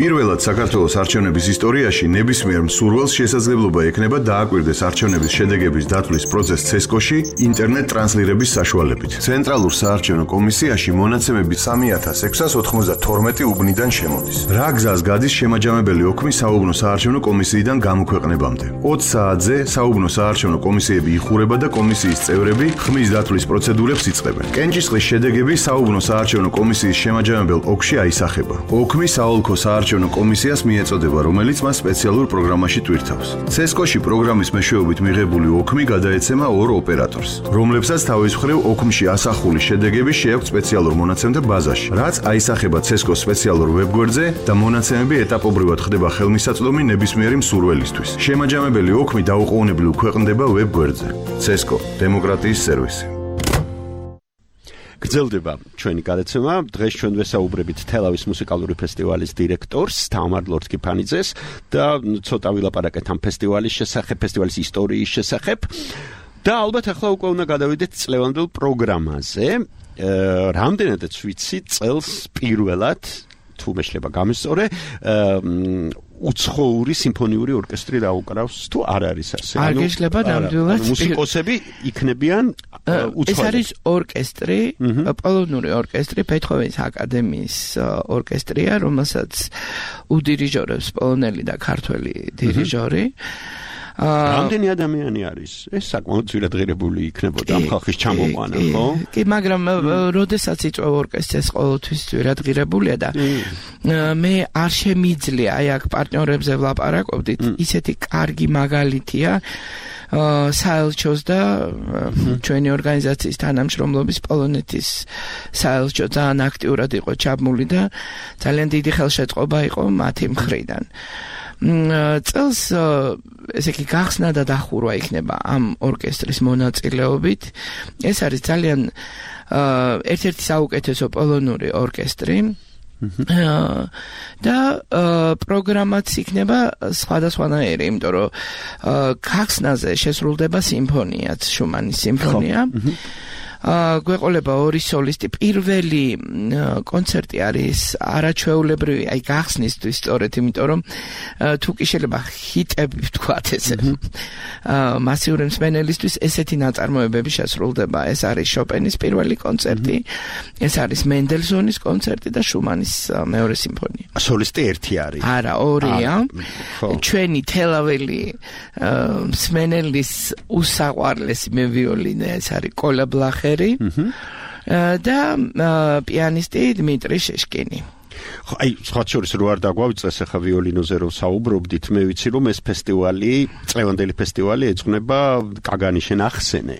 პირველად საქართველოს არჩევნების ისტორიაში ნებისმიერ მსურველს შესაძლებლობა ექნება დააკვირდეს არჩევნების შედეგების დათვლის პროცესს CESCO-ში ინტერნეტ ტრანსლირების საშუალებით. ცენტრალურ საარჩევნო კომისიაში მონაცემები 3692 უბნიდან შემოდის. რა გზას გადის შემაჯამებელი ოქმი საუბნო საარჩევნო კომისიიდან გამოქვეყნებამდე? 20 საათზე საუბნო საარჩევნო კომისიები იხურება და კომისიის წევრები ხმის დათვლის პროცედურებს იწყებენ. კენჭისყრის შედეგები საუბნო საარჩევნო კომისიის შემაჯამებელ ოლქში აისახება. ოქმი საოლქო საარჩევნო კომისიას მიეწოდება, რომელიც მას სპეციალურ პროგრამაში ტვირთავს. CESCO-ში პროგრამის მეშვეობით მიღებული ოქმი გადაეცემა 2 ოპერატორს, რომლებსაც თავის მხრივ ოქმში ასახული შედეგები შეაქვთ სპეციალურ მონაცემთა ბაზაში, რაც აისახება CESCO-s სპეციალურ ვებგვერდზე და მონაცემები ეტაპობრივად ხდება ხელმისაწვდომი ნებისმიერი მსურველისთვის. შემაჯამებელი ოქმი დაუყოვნებლივ ქვეყნდება ვებგვერდზე. CESCO დემოკრატიის სერვისი. გრძელდება ჩვენი გადაცემა. დღეს ჩვენ ვესაუბრებით თელავის მუსიკალური ფესტივალის დირექტორს თამარ ლორთქიფანიძეს და ცოტა ვილაპარაკეთ ამ ფესტივალის შესახებ, ფესტივალის ისტორიის შესახებ. და ალბათ ახლა უკვე უნდა გადავიდეთ წლევანდელ პროგრამაზე. რამდენადაც ვიცი, წელს პირველად თუ მეშლება გამისწორე უცხოური სიმფონიური ორკესტრი დაუკრავს თუ არ არის ასე? არ გეშლება ნამდვილად. მუსიკოსები იქნებიან უცხოელი. ეს არის ორკესტრი, პოლონური ორკესტრი, ბეთჰოვენის აკადემიის ორკესტრია, რომელსაც უდირიჟორებს პოლონელი და ქართველი დირიჟორი. რამდენი ადამიანი არის? ეს საკმაოდ ძვირადღირებული იქნებოდა ამ ხალხის ჩამოყვანა, ხო? კი, მაგრამ როდესაც იწვევ ორკესტრს ყოველთვის ძვირადღირებულია და მე არ შემიძლია აი აქ პარტნიორებზე ვლაპარაკობდით, ისეთი კარგი მაგალითია საელჩოს და ჩვენი ორგანიზაციის თანამშრომლობის პოლონეთის საელჩო ძალიან აქტიურად იყო ჩაბმული და ძალიან დიდი ხელშეწყობა იყო მათი მხრიდან. წელს ესე იგი გახსნა და დახურვა იქნება ამ ორკესტრის მონაწილეობით. ეს არის ძალიან ერთ-ერთი საუკეთესო პოლონური ორკესტრი. და პროგრამაც იქნება სხვადასხვანაირი, იმიტომ რომ გახსნაზე შესრულდება სიმფონიაც, შუმანის სიმფონია. გვეყოლება ორი სოლისტი. პირველი კონცერტი არის არაჩვეულებრივი, აი გახსნისთვის სწორედ, იმიტომ რომ თუ კი შეიძლება ჰიტები ვთქვათ ესე. მასიური მსმენელისთვის ესეთი ნაწარმოებები შესრულდება. ეს არის შოპენის პირველი კონცერტი, ეს არის მენდელსონის კონცერტი და შუმანის მეორე სიმფონია. სოლისტი ერთი არის? არა, ორია. ჩვენი თელაველი მსმენელის უსაყვარლესი მევიოლინე ეს არის კოლა ბლახერი და პიანისტი დმიტრი შეშკინი. აი, სხვა შორის რო არ დაგვავიწყეს ახლა ვიოლინოზე რო საუბრობდით, მე ვიცი რომ ეს ფესტივალი, წლევანდელი ფესტივალი ეძღვნება კაგანის შენახსენე.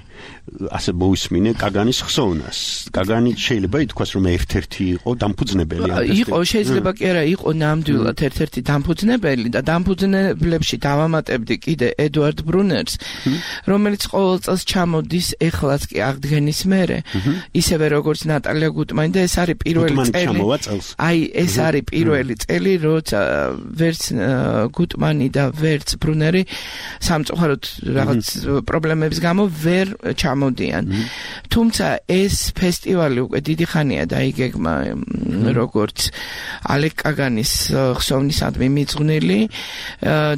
ასე მოვისმინე კაგანის ხსოვნას. კაგანი შეიძლება ითქვას რომ ერთ-ერთი იყო დამფუძნებელი ამ ფესტივალის. იყო, შეიძლება კი არა, იყო ნამდვილად ერთ-ერთი დამფუძნებელი და დამფუძნებლებში დავამატებდი კიდე ედუარდ ბრუნერს, რომელიც ყოველ წელს ჩამოდის ეხლაც კი აღდგენის მერე, ისევე როგორც ნატალია გუტმანი და ეს არის პირველი წელი. აი, ეს არის პირველი წელი, როცა ვერც გუტმანი და ვერც ბრუნერი სამწუხაროდ რაღაც პრობლემების გამო ვერ ჩამოდიან. თუმცა ეს ფესტივალი უკვე დიდი ხანია დაიგეგმა როგორც ალეკ კაგანის ხსოვნისადმი მიძღვნილი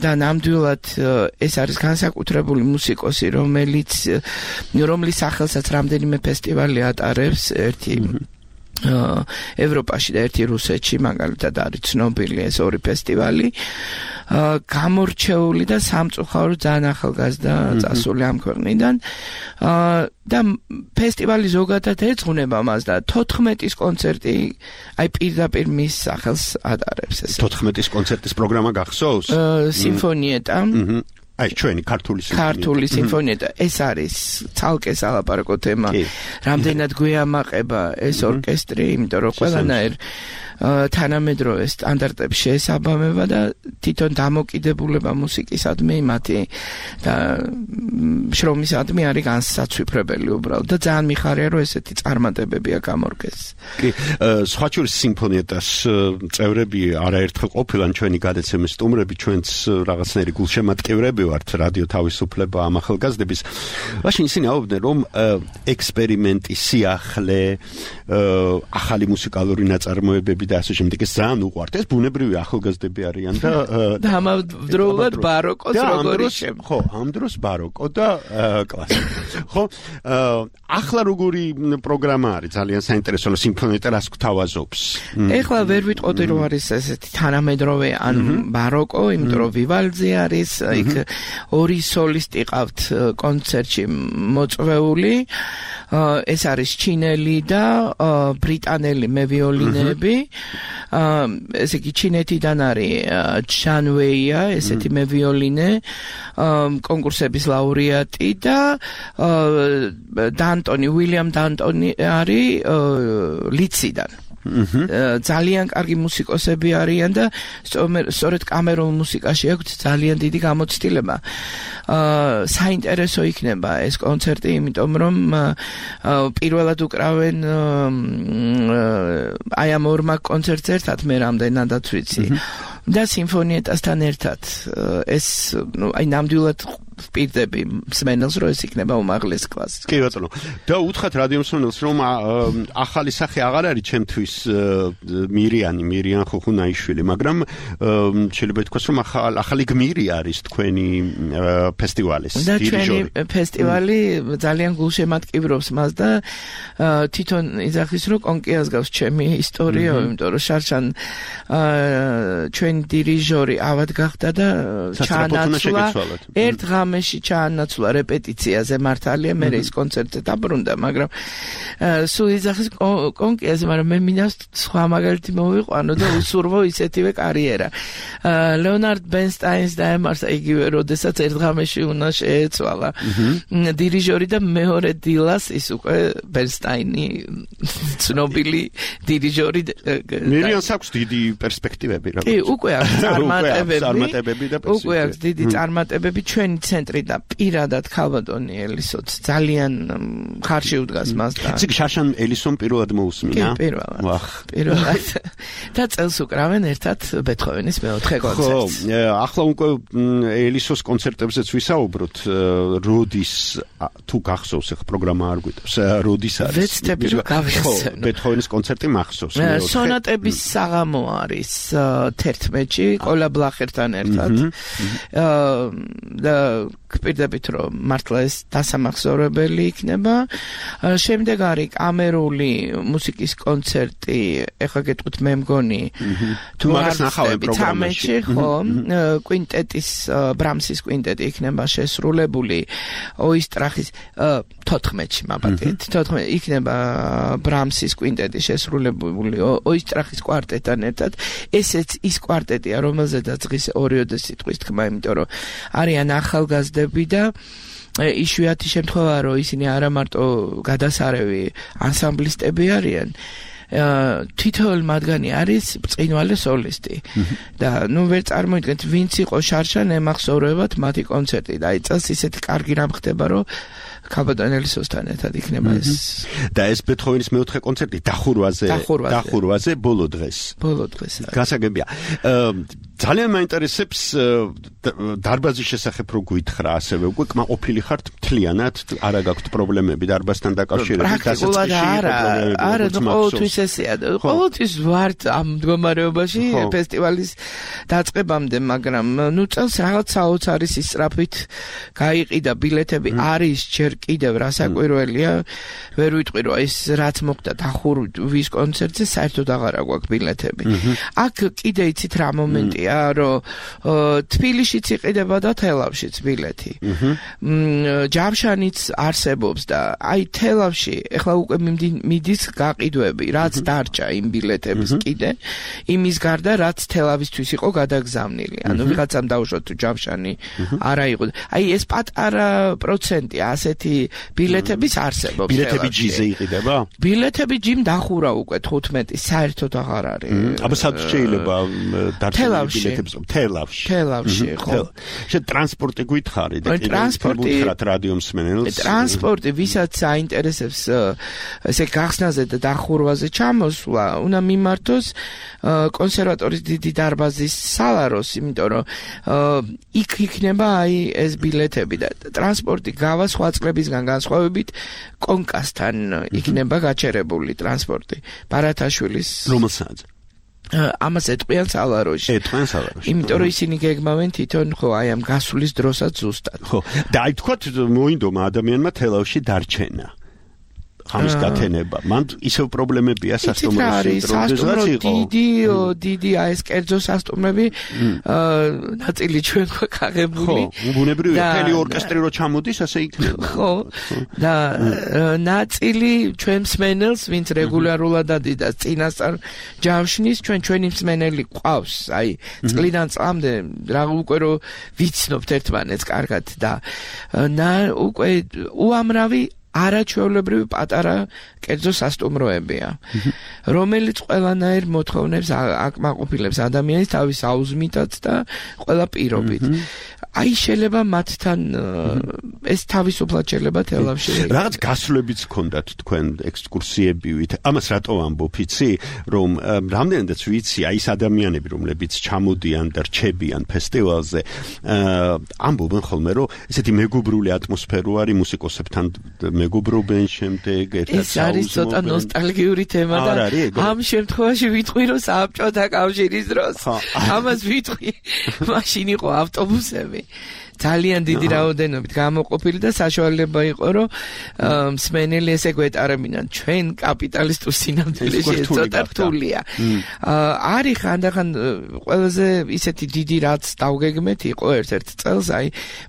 და ნამდვილად ეს არის განსაკუთრებული მუსიკოსი, რომლის სახელსაც რამდენიმე ფესტივალი ატარებს, ერთი ევროპაში და ერთი რუსეთში, მაგალითად არის ცნობილი ეს ორი ფესტივალი. გამორჩეული და სამწუხაროდ ძალიან ახალგაზრდა წასული ამ ქვეყნიდან და ფესტივალი ზოგადად ეძღვნება მას და 14-ის კონცერტი აი პირდაპირ მის სახელს ატარებს ეს. 14-ის კონცერტის პროგრამა გახსოვს? სიმფონიეტა. აი ჩვენი ქართული სიმფონიეტა ეს არის ცალკე სალაპარაკო თემა. რამდენად გვეამაყება ეს ორკესტრი, იმიტომ რომ ყველანაირ თანამედროვე სტანდარტებს შეესაბამება და თვითონ დამოკიდებულება მუსიკისადმი მათი და შრომისადმი არის განსაცვიფრებელი უბრალოდ და ძალიან მიხარია რომ ესეთი წარმატებებია გამორგეს. კი, სხვა შორის სიმფონიეტას წევრები არაერთხელ ყოფილან ჩვენი გადაცემის სტუმრები, ჩვენც რაღაცნაირი გულშემატკივრები ვართ რადიო თავისუფლება ამ ახალგაზრდების. მაშინ ისინი აუბრუნდნენ რომ ექსპერიმენტი, სიახლე, ახალი მუსიკალური ნაწარმოებები და ასე შემდეგ ეს ძალიან უყვართ. ეს ბუნებრივი ახალგაზრდები არიან და ამავდროულად ბაროკოს როგორი შემო. ხო, ამ დროს ბაროკო და კლასიკა. ხო, ახლა როგორი პროგრამა არის? ძალიან საინტერესო სიმფონიეტა რას გვთავაზობს? ეხლა ვერ ვიტყოდი რომ არის ესეთი თანამედროვე ან ბაროკო, იმიტომ რომ ვივალდზე არის, იქ ორი სოლისტი ყავთ კონცერტში მოწვეული. ეს არის ჩინელი და ბრიტანელი მევიოლინეები. ესე იგი ჩინეთიდან არის ჩან ვეია, ესეთი მევიოლინე, კონკურსების ლაურეატი და დანტონი, უილიამ დანტონი არის ლიციდან. ძალიან კარგი მუსიკოსები არიან და სწორედ კამერულ მუსიკაში აქვს ძალიან დიდი გამოცდილება. საინტერესო იქნება ეს კონცერტი, იმიტომ რომ პირველად უკრავენ აი ამ ორმა კონცერტს ერთად, მე რამდენადაც ვიცი. და სიმფონიეტასთან ერთად ეს აი ნამდვილად ვპირდები მსმენელს, რომ ეს იქნება უმაღლეს კლასი. კი ბატონო. და უთხრათ რადიო მსმენელს, რომ ახალი სახე აღარ არის ჩემთვის მირიან ხუხუნაიშვილი, მაგრამ შეიძლება ითქვას, რომ ახალი გმირი არის თქვენი ფესტივალის დირიჟორი. და ჩვენი ფესტივალი ძალიან გულშემატკივრობს მას და თვითონ იძახის, რომ კონკიას გავს ჩემი ისტორია, იმიტომ რომ შარშან ჩვენი დირიჟორი ავად გახდა და ჩაანაცვლა ერთ ღამეში ჩაანაცვლა რეპეტიციაზე მართალია, მე ის კონცერტზე დაბრუნდა, მაგრამ სულ იძახის კონკიაზე, მაგრამ მე მინდა სხვა მაგალითი მოვიყვანო და უსურვო ისეთივე კარიერა. ლეონარდ ბენსტაინს დაემართა იგივე, როდესაც ერთ ღამეში უნდა შეეცვალა დირიჟორი და მეორე დილას ის უკვე ბენსტაინი ცნობილი დირიჟორი. მირიანს აქვს დიდი პერსპექტივები რა. კი, უკვე აქვს წარმატებები და უკვე აქვს დიდი წარმატებები. ჩვენი ცენტრი და პირადად ქალბატონი ელისოც ძალიან ხარში უდგას მას და ციგ შარშან ელისონ პირველად მოусმინა. კი, პირველად. და წელს უკრავენ ერთად ბეთჰოვენის მეოთხე კონცერტს. ხო, ახლა უკვე ელისოს კონცერტებზეც ვისაუბროთ როდის თუ გახსოვს ახლა პროგრამა არ გვიტევს როდის არის ვეცდები რომ გავიხსენო ბეთჰოვენის კონცერტი მახსოვს სონატების საღამო არის 11-ში კოლა ბლახერთან ერთად და გპირდებით რომ მართლა ეს დასამახსოვრებელი იქნება შემდეგ არის კამერული მუსიკის კონცერტი ეხლა გეტყვით მე მგონი თუ მაგას ნახავენ პროგრამაში ხო კვინტეტის ბრამსის კვინტეტი იქნება შესრულებული ოისტრახის 14-ში მაბატეთ 14 იქნება ბრამსის კვინტეტი შესრულებული ოისტრახის კვარტეტთან ერთად ესეც ის კვარტეტია რომელზედაც დღის ორიოდე სიტყვის თქმა იმიტომ რომ არიან ახალგაზრდები და იშვიათი შემთხვევაა რომ ისინი არა მარტო გადასარევი ანსამბლისტები არიან თითოეული მათგანი არის ბრწყინვალე სოლისტი და ნუ ვერ წარმოიდგენთ ვინც იყო შარშან ემახსოვრებათ მათი კონცერტი და აი წელს ისეთი კარგი რამ ხდება რომ კაბადანელისოსთან ერთად იქნება ეს და ეს ბეთჰოვენის მეოთხე კონცერტი დახურვაზე ბოლო დღეს გასაგებია ძალიან მაინტერესებს დარბაზის შესახებ რო გითხრა ასევე უკვე კმაყოფილი ხართ მთლიანად არა გაქვთ პრობლემები დარბაზთან დაკავშირებით არა ყოველთვის ესეა ყოველთვის ვართ ამ მდგომარეობაში ფესტივალის დაწყებამდე მაგრამ ნუ წელს რაღაც საოცარი ისწრაფით გაიყიდა ბილეთები არის ჯერ კიდევ რასაკვირველია ვერ ვიტყვი რომ ეს რაც მოხდა დახურვის კონცერტზე საერთოდ აღარა გვაქვს ბილეთები აქ კიდე იცით რა მომენტია რომ თბილისშიც იყიდება და თელავშიც ბილეთი ჯავშანიც არსებობს და აი თელავში ეხლა უკვე მიდის გაყიდვები რაც დარჩა იმ ბილეთების კიდე იმის გარდა რაც თელავისთვის იყო გადაგზავნილი ანუ ვიღაცამ დაუშვა თუ ჯავშანი არა იყო აი ეს პატარა პროცენტი ასეთი ბილეთების არსებობს ბილეთები ჯიზე იყიდება ბილეთები ჯიმ დახურა უკვე 15 საერთოდ აღარ არის აბა სად შეიძლება დარჩენილი თელავში ხო შენ ტრანსპორტი გითხარი და გითხრათ რადიო მსმენელს ტრანსპორტი ვისაც აინტერესებს ესე გახსნაზე და დახურვაზე ჩამოსვლა უნდა მიმართოს კონსერვატორის დიდი დარბაზის სალაროს იმიტომ რომ იქ იქნება აი ეს ბილეთები და ტრანსპორტი გავა სხვა წლებისგან განსხვავებით კონკასთან იქნება გაჩერებული ტრანსპორტი ბარათაშვილის რომელსაც ამას ეტყვიან სალაროში იმიტომ რომ ისინი გეგმავენ თვითონ ხო აი ამ გასulis დროსაც ზუსტად ხო და აი თქვათ მოინდომა ადამიანმა თელავში დარჩენა ხამის გათენება მან ისევ პრობლემებია სასტუმროში დროშად იყო დიდი აი ეს კერძო სასტუმრები ნაწილი ჩვენ გვაქვს აღებული ბუნებრივია მთელი ორკესტრი რო ჩამოდის ასე იქნება ხო და ნაწილი ჩვენ მსმენელს ვინც რეგულარულად ადიდას წინასწარ ჯავშნის ჩვენი მსმენელი ყავს აი წლიდან წლამდე რა უკვე რო ვიცნობთ ერთმანეთს კარგად და უკვე უამრავი არაჩვეულებრივი პატარა კერძო სასტუმროებია რომელიც ყველანაირ მოთხოვნებს აკმაყოფილებს ადამიანის თავის აუზმითაც და ყველა პირობით აი შეიძლება მათთან ეს თავისუფლად შეიძლება თელავში რაღაც გასვლებიც გქონდათ თქვენ ექსკურსიებივით ამას რატო ამბობ იცი რომ რამდენადაც ვიცი აი ეს ადამიანები რომლებიც ჩამოდიან და რჩებიან ფესტივალზე ამბობენ ხოლმე რომ ესეთი მეგობრული ატმოსფერო არის მუსიკოსებთან მეგობრობენ შემდეგ ერთად ეს არის ცოტა ნოსტალგიური თემა და ამ შემთხვევაში ვიტყვი რომ საბჭოთა კავშირის დროს ამას ვიტყვი მაშინ იყო ავტობუსები ძალიან დიდი რაოდენობით გამოყოფილი და საშუალება იყო რომ მსმენელი ესე გვეტარებინან ჩვენ კაპიტალისტურ სინამდვილეში ცოტა რთულია არის ხანდახან ყველაზე ისეთი დიდი რაც დავგეგმეთ იყო ერთ-ერთ წელს აი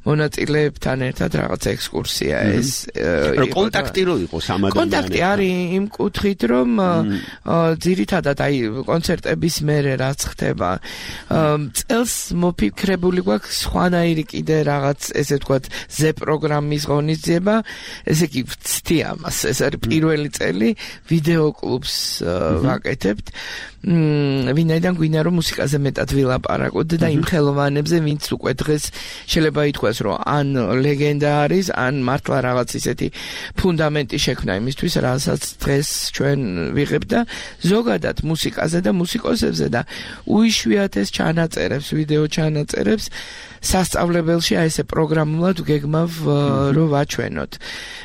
მონაწილეებთან ერთად რაღაც ექსკურსია ეს კონტაქტი რო იყოს ამ ადამიანებთან კონტაქტი არის იმ კუთხით რომ ძირითადად აი კონცერტების მერე რაც ხდება წელს მოფიქრებული გვაქვს სხვანაირი კიდე რაღაც ესე ვთქვათ ზე პროგრამის ღონისძიება ესე იგი ვცდი ამას ეს არის პირველი წელი ვიდეო კლუბს ვაკეთებთ ვინაიდან გვინდა რომ მუსიკაზე მეტად ვილაპარაკოთ და იმ ხელოვანებზე ვინც უკვე დღეს შეიძლება ითქვას რომ ან ლეგენდა არის ან მართლა რაღაც ისეთი ფუნდამენტი შექმნა იმისთვის რასაც დღეს ჩვენ ვიღებთ და ზოგადად მუსიკაზე და მუსიკოსებზე და უიშვიათეს ჩანაწერებს ვიდეო ჩანაწერებს სასწავლებელ წელში აი ესე პროგრამულად გეგმავ რომ ვაჩვენოთ.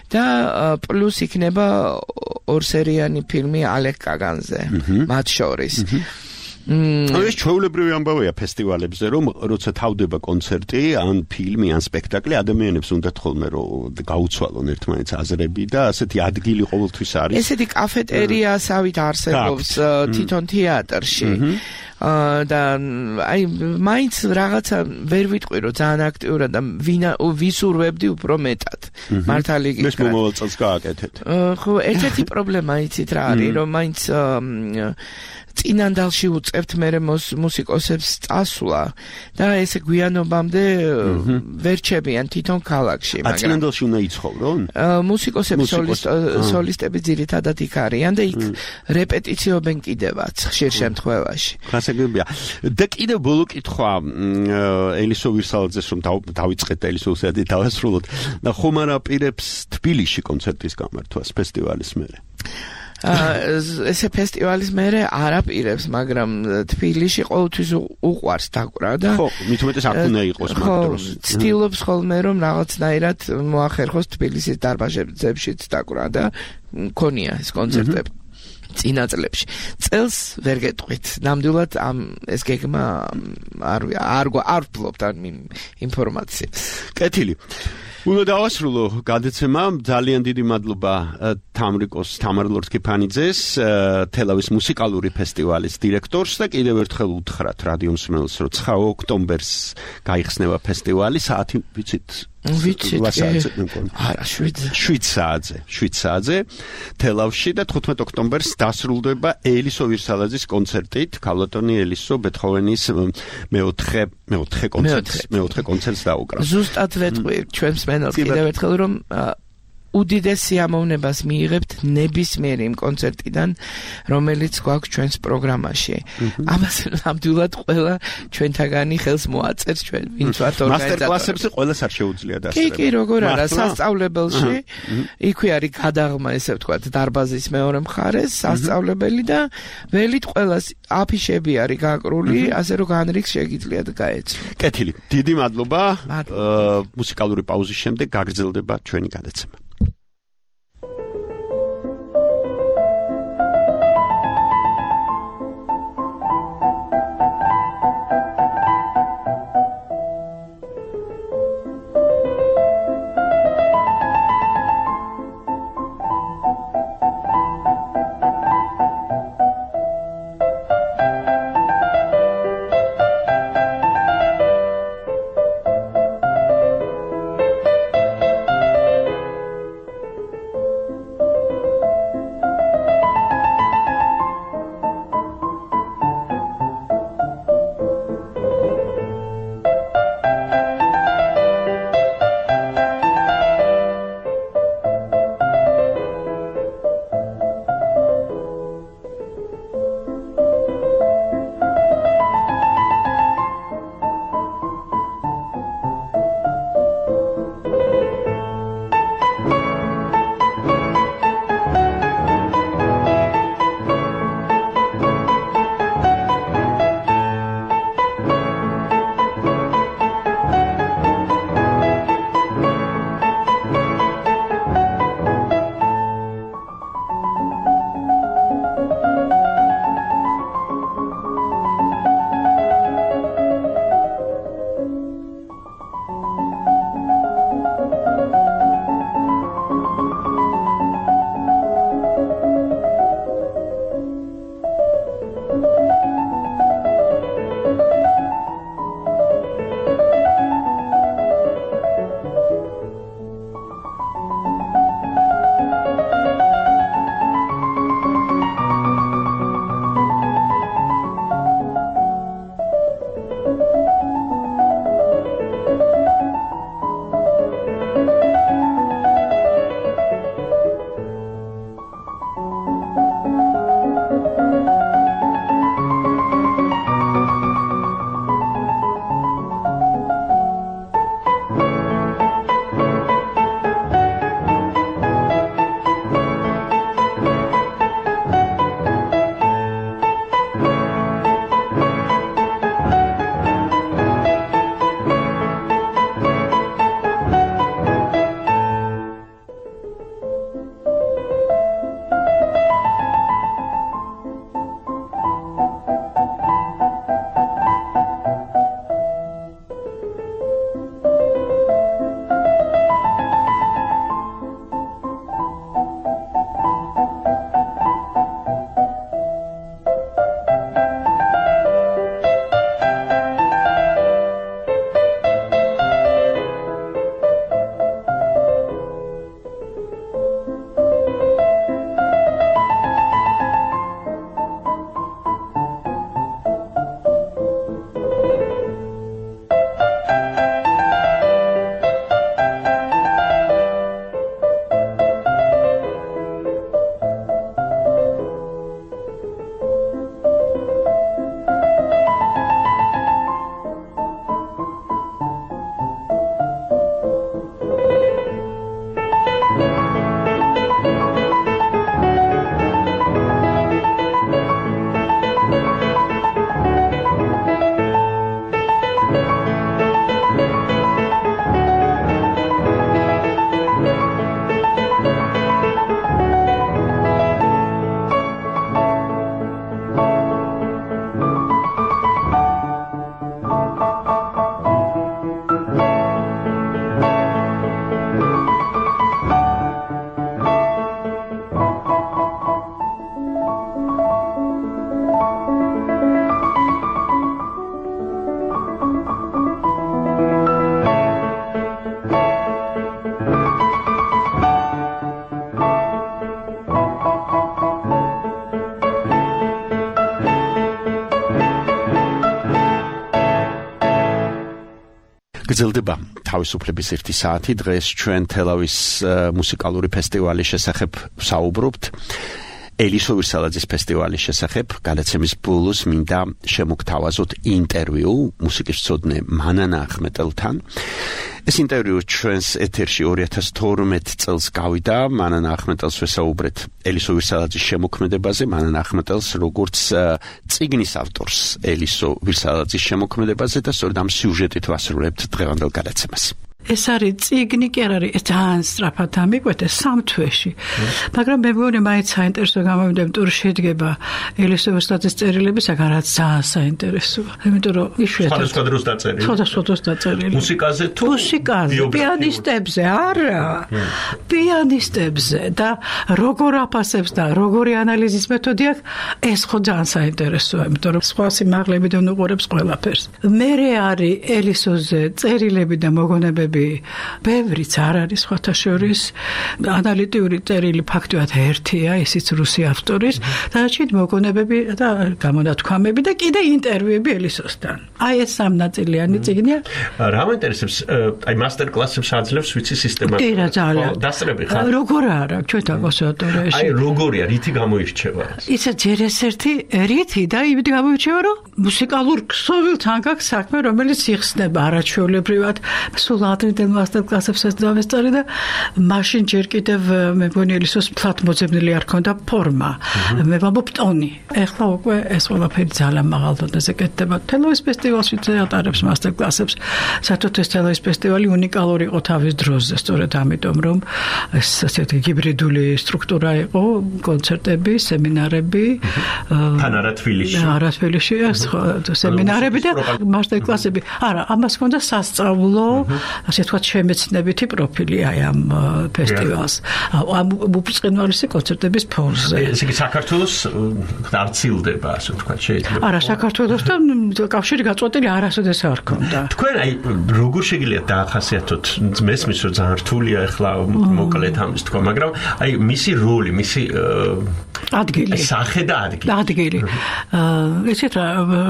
და პლუს იქნება ორსერიანი ფილმი ალეკ კაგანზე, მათ შორის. ეს ჩვეულებრივი ამბავია ფესტივალებზე, რომ როცა თავდება კონცერტი, ან ფილმი, ან სპექტაკლი, ადამიანებს უნდათ ხოლმე რომ გაუცვალონ ერთმანეთს აზრები და ასეთი ადგილი ყოველთვის არის. ესეთი კაფეტერიასავით არსებობს თვითონ თეატრში. და აი მაინც რაღაცა ვერ ვიტყვი რომ ძალიან აქტიურად და ვისურვებდი უფრო მეტად მართალი გითხრათ. მის მომავალ წელს გააკეთეთ. ხო, ერთ-ერთი პრობლემა იცით რა არის, რომ მაინც წინანდალში უწევთ მერე მუსიკოსებს წასვლა და ესე გვიანობამდე ვერ ჩებიან თვითონ ქალაქში, მაგრამ წინანდალში უნდა იცხოვრონ? მუსიკოსები სოლისტები ძირითადად იქ არიან და იქ რეპეტიციობენ კიდევაც ხშირ შემთხვევაში. გასაგებია. და კიდევ ბოლო კითხვა ელისო ვირსალაძეს რომ დავიწყეთ ელისო ვირსალაძე დავასრულოთ და ხომ არ აპირებს თბილისში კონცერტის გამართვას ფესტივალის მერე? ესე ფესტივალის მერე არ აპირებს, მაგრამ თბილისში ყოველთვის უყვარს დაკვრა და ხო, მით უმეტეს აქ უნდა იყოს მაგ დროს. ცდილობს ხოლმე რომ რაღაცნაირად მოახერხოს თბილისის დარბაზებშიც დაკვრა და მქონია ეს კონცერტები. წინა წლებში. წელს ვერ გეტყვით. ნამდვილად ეს გეგმა არ ვფლობთ ამ ინფორმაციას. კეთილი. უნდა დავასრულო გადაცემა. ძალიან დიდი მადლობა თამრიკოს თამარ ლორთქიფანიძეს, თელავის მუსიკალური ფესტივალის დირექტორს და კიდევ ერთხელ უთხრათ რადიო მსმენელს, რომ 9 ოქტომბერს გაიხსნება ფესტივალი, საათი ვიცით? ვიცით. არა, 7 საათზე თელავში და 15 ოქტომბერს დასრულდება ელისო ვირსალაძის კონცერტით, ქალბატონი ელისო ბეთჰოვენის მეოთხე კონცერტს დაუკრავს. ზუსტად ვეტყვი ჩვენ მსმენელს კიდევ ერთხელ რომ უდიდეს სიამოვნებას მიიღებთ ნებისმიერ იმ კონცერტიდან, რომელიც გვაქვს ჩვენს პროგრამაში. ამას ნამდვილად ყველა ჩვენთაგანი ხელს მოაწერს ჩვენ, ვინც ვართ ორგანიზატორები. მასტერკლასებზე ყველას არ შეუძლია დასწრება. კი, როგორ არა, სასწავლებელში იქვე არის გადაღმა, ესე ვთქვათ, დარბაზის მეორე მხარეს, სასწავლებელი და ველით ყველას აფიშები არის გაკრული, ასე რომ განრიგს შეგიძლიათ გაეცნოთ. კეთილი. დიდი მადლობა. მუსიკალური პაუზის შემდეგ გაგრძელდება ჩვენი გადაცემა. გრძელდება თავისუფლების ერთი საათი. დღეს ჩვენ თელავის მუსიკალური ფესტივალის შესახებ ვსაუბრობთ. ელისო ვირსალაძის ფესტივალის შესახებ. გადაცემის ბოლოს მინდა შემოგთავაზოთ ინტერვიუ მუსიკის მცოდნე მანანა ახმეტელთან. ეს ინტერვიუ ჩვენს ეთერში 2012 წელს გავიდა. მანანა ახმეტელს ვესაუბრეთ ელისო ვირსალაძის შემოქმედებაზე. მანანა ახმეტელს როგორც წიგნის ავტორს ელისო ვირსალაძის შემოქმედებაზე და სწორედ ამ სიუჟეტით ვასრულებთ დღევანდელ გადაცემას. ეს არის წიგნი კი არ არის ძალიან სწრაფად ამიკვეთეს 3 თვეში. მაგრამ მე მგონი მაინც საინტერესო გამოვიდა, იმიტომ რომ შედგება ელისო ვირსალაძის წერილები, საგან რაც ძალიან საინტერესოა. იმიტომ რომ იშვიათად სხვადასხვა დროს დაწერილი. სხვადასხვა დროს დაწერილი. მუსიკაზე თუ მუსიკაზე, პიანისტებზე, არა. პიანისტებზე და როგორ აფასებს და როგორი ანალიზის მეთოდი აქვს, ეს ხო ძალიან საინტერესოა, იმიტომ რომ სხვა სიმაღლებიდან უყურებს ყველაფერს. მერე არის ელისოზე წერილები და მოგონებები ბევრიც არ არის სხვათა შორის. ანალიტიური წერილი ფაქტობრივად ერთია, ისიც რუსი ავტორის, დანარჩენი მოგონებები და გამონათქვამები და კიდე ინტერვიუები ელისოსთან. აი ეს სამნაწილიანი წიგნია. რა მაინტერესებს, აი მასტერ კლასებს აძლევს ვიცი სისტემა. კი რა ძალიან. დასწრები ხარ? როგორ არა, ჩვენთან კონსერვატორიაში. აი როგორია, რითი გამოირჩევა? ისა ჯერ ეს ერთი რითი და იმით გამოირჩევა, რომ მუსიკალურ ქსოვილთან გაქვს საქმე, რომელიც იხსნება არაჩვეულებრივად. სულ ადრინდელ მასტერ კლასებსაც დავესწარი და მაშინ ჯერ კიდევ მე მგონი ელისოს ფლად მოძებნილი არ ქონდა ფორმა. მე ვამბობ ტონი. ეხლა უკვე ეს ყველაფერი ძალიან მაღალ დონეზე კეთდება. თელავის ფესტივალში ატარებს მასტერ კლასებს. საერთოდ ეს თელავის ფესტივალი უნიკალური იყო თავის დროზე, სწორედ ამიტომ რომ ეს ასეთი ჰიბრიდული სტრუქტურა იყო, კონცერტები, სემინარები. თან არა თბილისში. არა თბილისში, სემინარები და მასტერ კლასები. არა, ამას ჰქონდა სასწავლო ასე თქვა შემეცნებითი პროფილი აი ამ ფესტივალს. ამ უბრწყინვალესი კონცერტების ფონზე. ესე იგი საქართველოს არცილდება, ასე თქვა შეიძლება. არა, საქართველოსთან კავშირი გაწყვეტილი არასოდეს არ ქონდა. თქვენ აი როგორ შეგიძლიათ დაახასიათოთ? მესმის რომ ძალიან რთულია ახლა მოკლედ ამის თქვა, მაგრამ აი მისი როლი, მისი ადგილი. სახე და ადგილი. ადგილი. ესეთ რა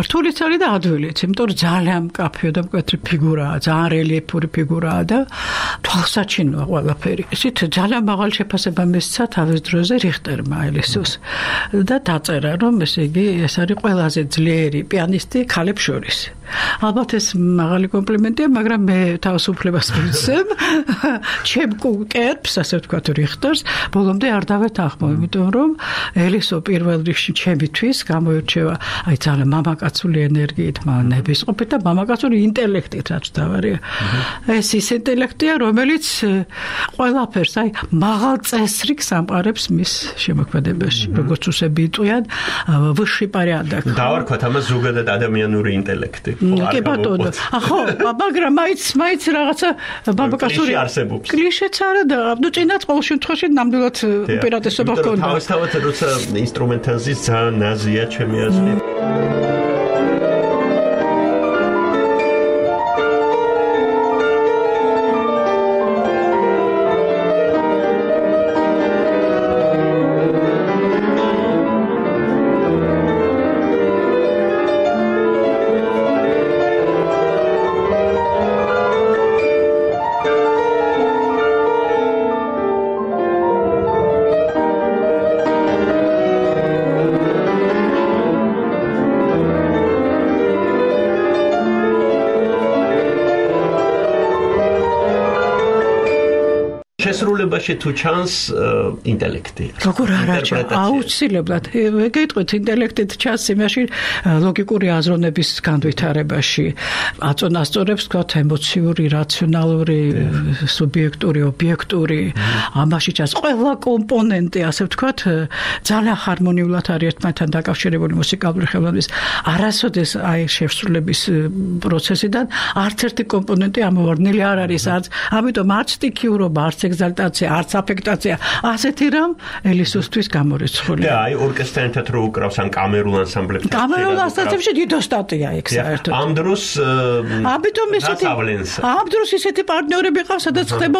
რთულიც არის და ადვილიც, იმიტომ რომ ძალიან მკაფიო და მკვეთრი ფიგურაა, ძალიან რელიეფური ფიგურაა და თვალსაჩინოა ყველაფერი. ისეთ ძალიან მაღალ შეფასება მისცა თავის დროზე რიხტერმა ელისოს და დაწერა რომ ესე იგი ეს არის ყველაზე ძლიერი პიანისტი ქალებს შორის. ალბათ ეს მაღალი კომპლიმენტია, მაგრამ მე თავისუფლებას მივცემ ჩემ კერპს, ასე ვთქვათ, რიხტერს, ბოლომდე არ დავეთანხმო, იმიტომ რომ ელისო პირველ რიგში ჩემთვის გამოირჩევა აი ძალიან მამაკაცული ენერგიით, ნებისყოფით და მამაკაცური ინტელექტით, რაც დავარია. ეს ის ინტელექტია, რომელიც ყველაფერს აი მაღალ წესრიგს ამყარებს მის შემოქმედებაში, როგორც უსები იტყვიან, ვысший порядок. დავარქვათ ამას ზოგადად ადამიანური ინტელექტი. კი ბატონო. ხო, მაგრამ მაიც რაღაცა მამაკაცური კლიშეც არა და ნუ წინათ ყოველ შემთხვევაში ნამდვილად უპირატესობა ჰქონდა. თავისთავად როცა ინსტრუმენტალიზმის ძალიან ნაზია ჩემი აზრით. შესრულებაში თუ ჩანს ინტელექტი. როგორ არა ჩანს? აუცილებლად. გეტყვით ინტელექტით ჩანს იმაში ლოგიკური აზროვნების განვითარებაში. აწონასწორებს თქვათ ემოციური, რაციონალური, სუბიექტური, ობიექტური. ამაში ჩანს ყველა კომპონენტი, ასე ვთქვათ, ძალიან ჰარმონიულად არის ერთმანეთთან დაკავშირებული მუსიკალური ხელოვნის. არასოდეს აი შესრულების პროცესიდან არც ერთი კომპონენტი ამოვარდნილი არ არის. ამიტომ არც სტიქიურობა, არც ეგზალტაცია, არც აფექტაცია, ასეთი რამ ელისოსთვის გამორიცხული. და აი ორკესტრთან ერთად რო უკრავს ან კამერულ ანსამბლებთან. კამერულ ანსამბლებში დიდო სტატია იქ საერთოდ. ამ დროს ამ დროს ისეთი პარტნიორები ყავს, სადაც ხდება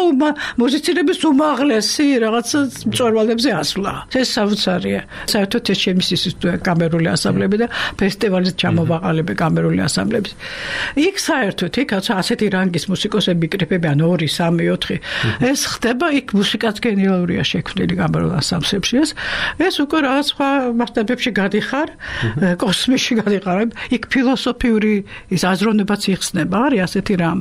მუსიცირების უმაღლესი რაღაც მწვერვალებზე ასვლა. ეს საოცარია. საერთოდ ეს ჩემი სისტემაა კამერული ანსამბლები და ფესტივალის ჩამოვაყალიბე კამერული ანსამბლების. იქ საერთოდ ასეთი რანგის მუსიკოსები იკრიფები ან 2, 3, 4. ეს ხდება იქ მუსიკაც გენიალურია შექმნილი კამერულ ანსამბლებში. ეს უკვე რაღაც სხვა მასშტაბებში გადიხარ, კოსმოსში გადიხარ. იქ ფილოსოფიური ის აზროვნებაც იხსნება, არის ასეთი რამ.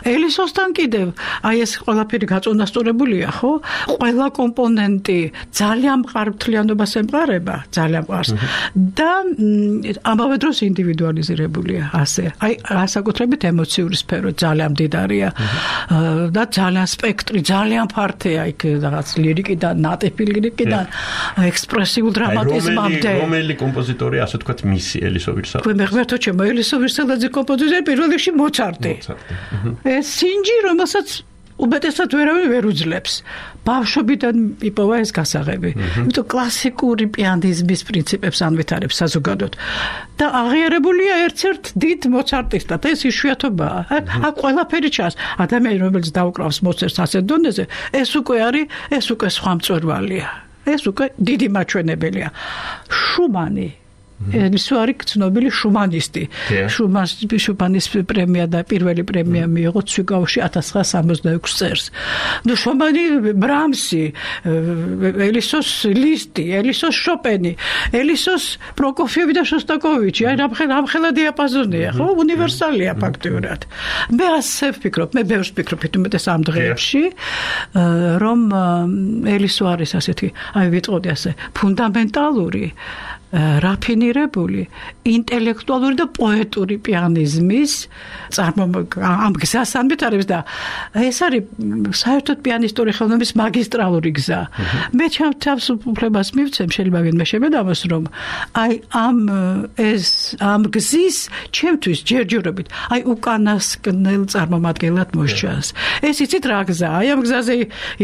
ელისოსთან კიდევ აი ეს ყველაფერი გაწონასწორებულია, ხო? ყველა კომპონენტი ძალიან მყარბთლიანობას ემყარება, ძალიან მყარს. და ამავე დროს ინდივიდუალიზირებულია ასე. აი განსაკუთრებით ემოციური სფერო ძალიან მდიდარია და ძალიან სპექტრი, ძალიან ფართეა იქ რაღაც ლირიკიდან, ნატიფი ლირიკიდან, ექსპრესიულ დრამატიზმამდე. რომელი კომპოზიტორი ასე თქვათ მისი ელისო ვირსალაძე? მე მეხმერთო ჩემო ელისო ვირსალაძე კომპოზიტორი პირველ რიგში მოცარტი. ეს სინჯი, რომელსაც უბედესად ვერავინ ვერ უძლებს. ბავშვობიდან იპოვა ეს გასაღები. იმიტომ კლასიკური პიანიზმის პრინციპებს ანვითარებს საზოგადოდ. და აღიარებულია ერთ-ერთ დიდ მოცარტისტად. ეს იშვიათობაა. აქ ყველაფერი ჩანს. ადამიანი, რომელიც დაუკრავს მოცარტს ასეთ დონეზე, ეს უკვე სხვა მწვერვალია. ეს უკვე დიდი მაჩვენებელია. შუმანი ეს არის ცნობილი შუმანისტი. შუმანის პრემია და პირველი პრემია მიიღო ცვიგაოში 1966 წელს. ნუ შუმანი, ბრამსი, ელისოს ლისტი, ელისოს შოპენი, ელისოს პროკოფიევი და შოსტაკოვიჩი, აი რამხელა დიაპაზონია, ხო? უნივერსალია ფაქტიურად. მე ასე ვფიქრობ, მე ბევრს ვფიქრობ, თუმცა ამ დღეებში, რომ ელისო არის ასეთი, აი ვიტყოდი ასე, ფუნდამენტალური რაფინირებული, ინტელექტუალური და პოეტური პიანიზმის ამ გზას ანვითარებს და ეს არის საერთოდ პიანისტური ხელოვნების მაგისტრალური გზა. მე ჩემს უფლებას მივცემ, შეიძლება ვინმე შემედამოს, რომ აი ამ გზის ჩემთვის ჯერჯერობით აი უკანასკნელ წარმომადგენლად მოსჩანს. ეს იცით რა გზაა? აი ამ გზაზე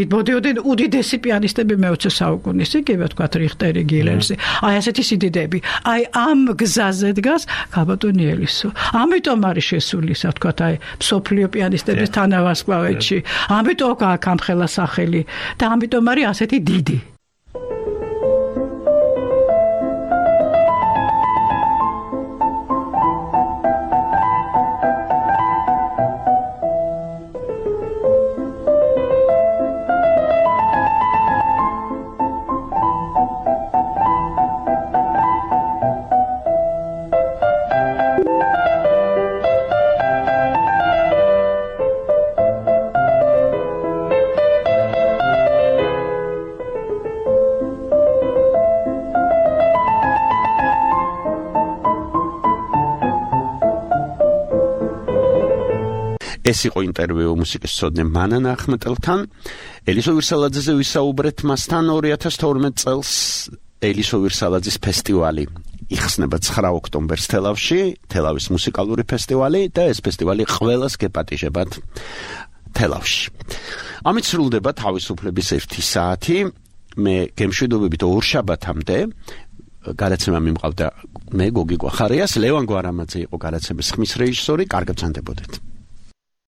იბოდიოდნენ უდიდესი პიანისტები მე-20 საუკუნის, იგივე თქვა რიხტერი, გილერსი. აი ასეთი დიდები. აი ამ გზაზე დგას გაბატონი ელისო. ამიტომ არის შესული, ასე ვთქვათ, აი მსოფლიო პიანისტების თანავარსკვლავედში. ამიტომ აქვს ამ ხელა სახელი და ამიტომ არის ასეთი დიდი. ეს იყო ინტერვიუ მუსიკის მცოდნე მანან ახმეტელთან. ელისო ვირსალაძეზე ვისაუბრეთ მასთან 2012 წელს ელისო ვირსალაძის ფესტივალი იხსნება 9 ოქტომბერს თელავში, თელავის მუსიკალური ფესტივალი და ეს ფესტივალი ყველას გეპატიჟებათ თელავში. ამით სრულდება თავისუფლების 1 საათი. მე გემშვიდობებით ორშაბათამდე გადაცემა მიმყავდა მე გოგი გვახარიას, ლევან გვარამაძე იყო გადაცემის ხმის რეჟისორი. კარგად ვსანდებოდეთ.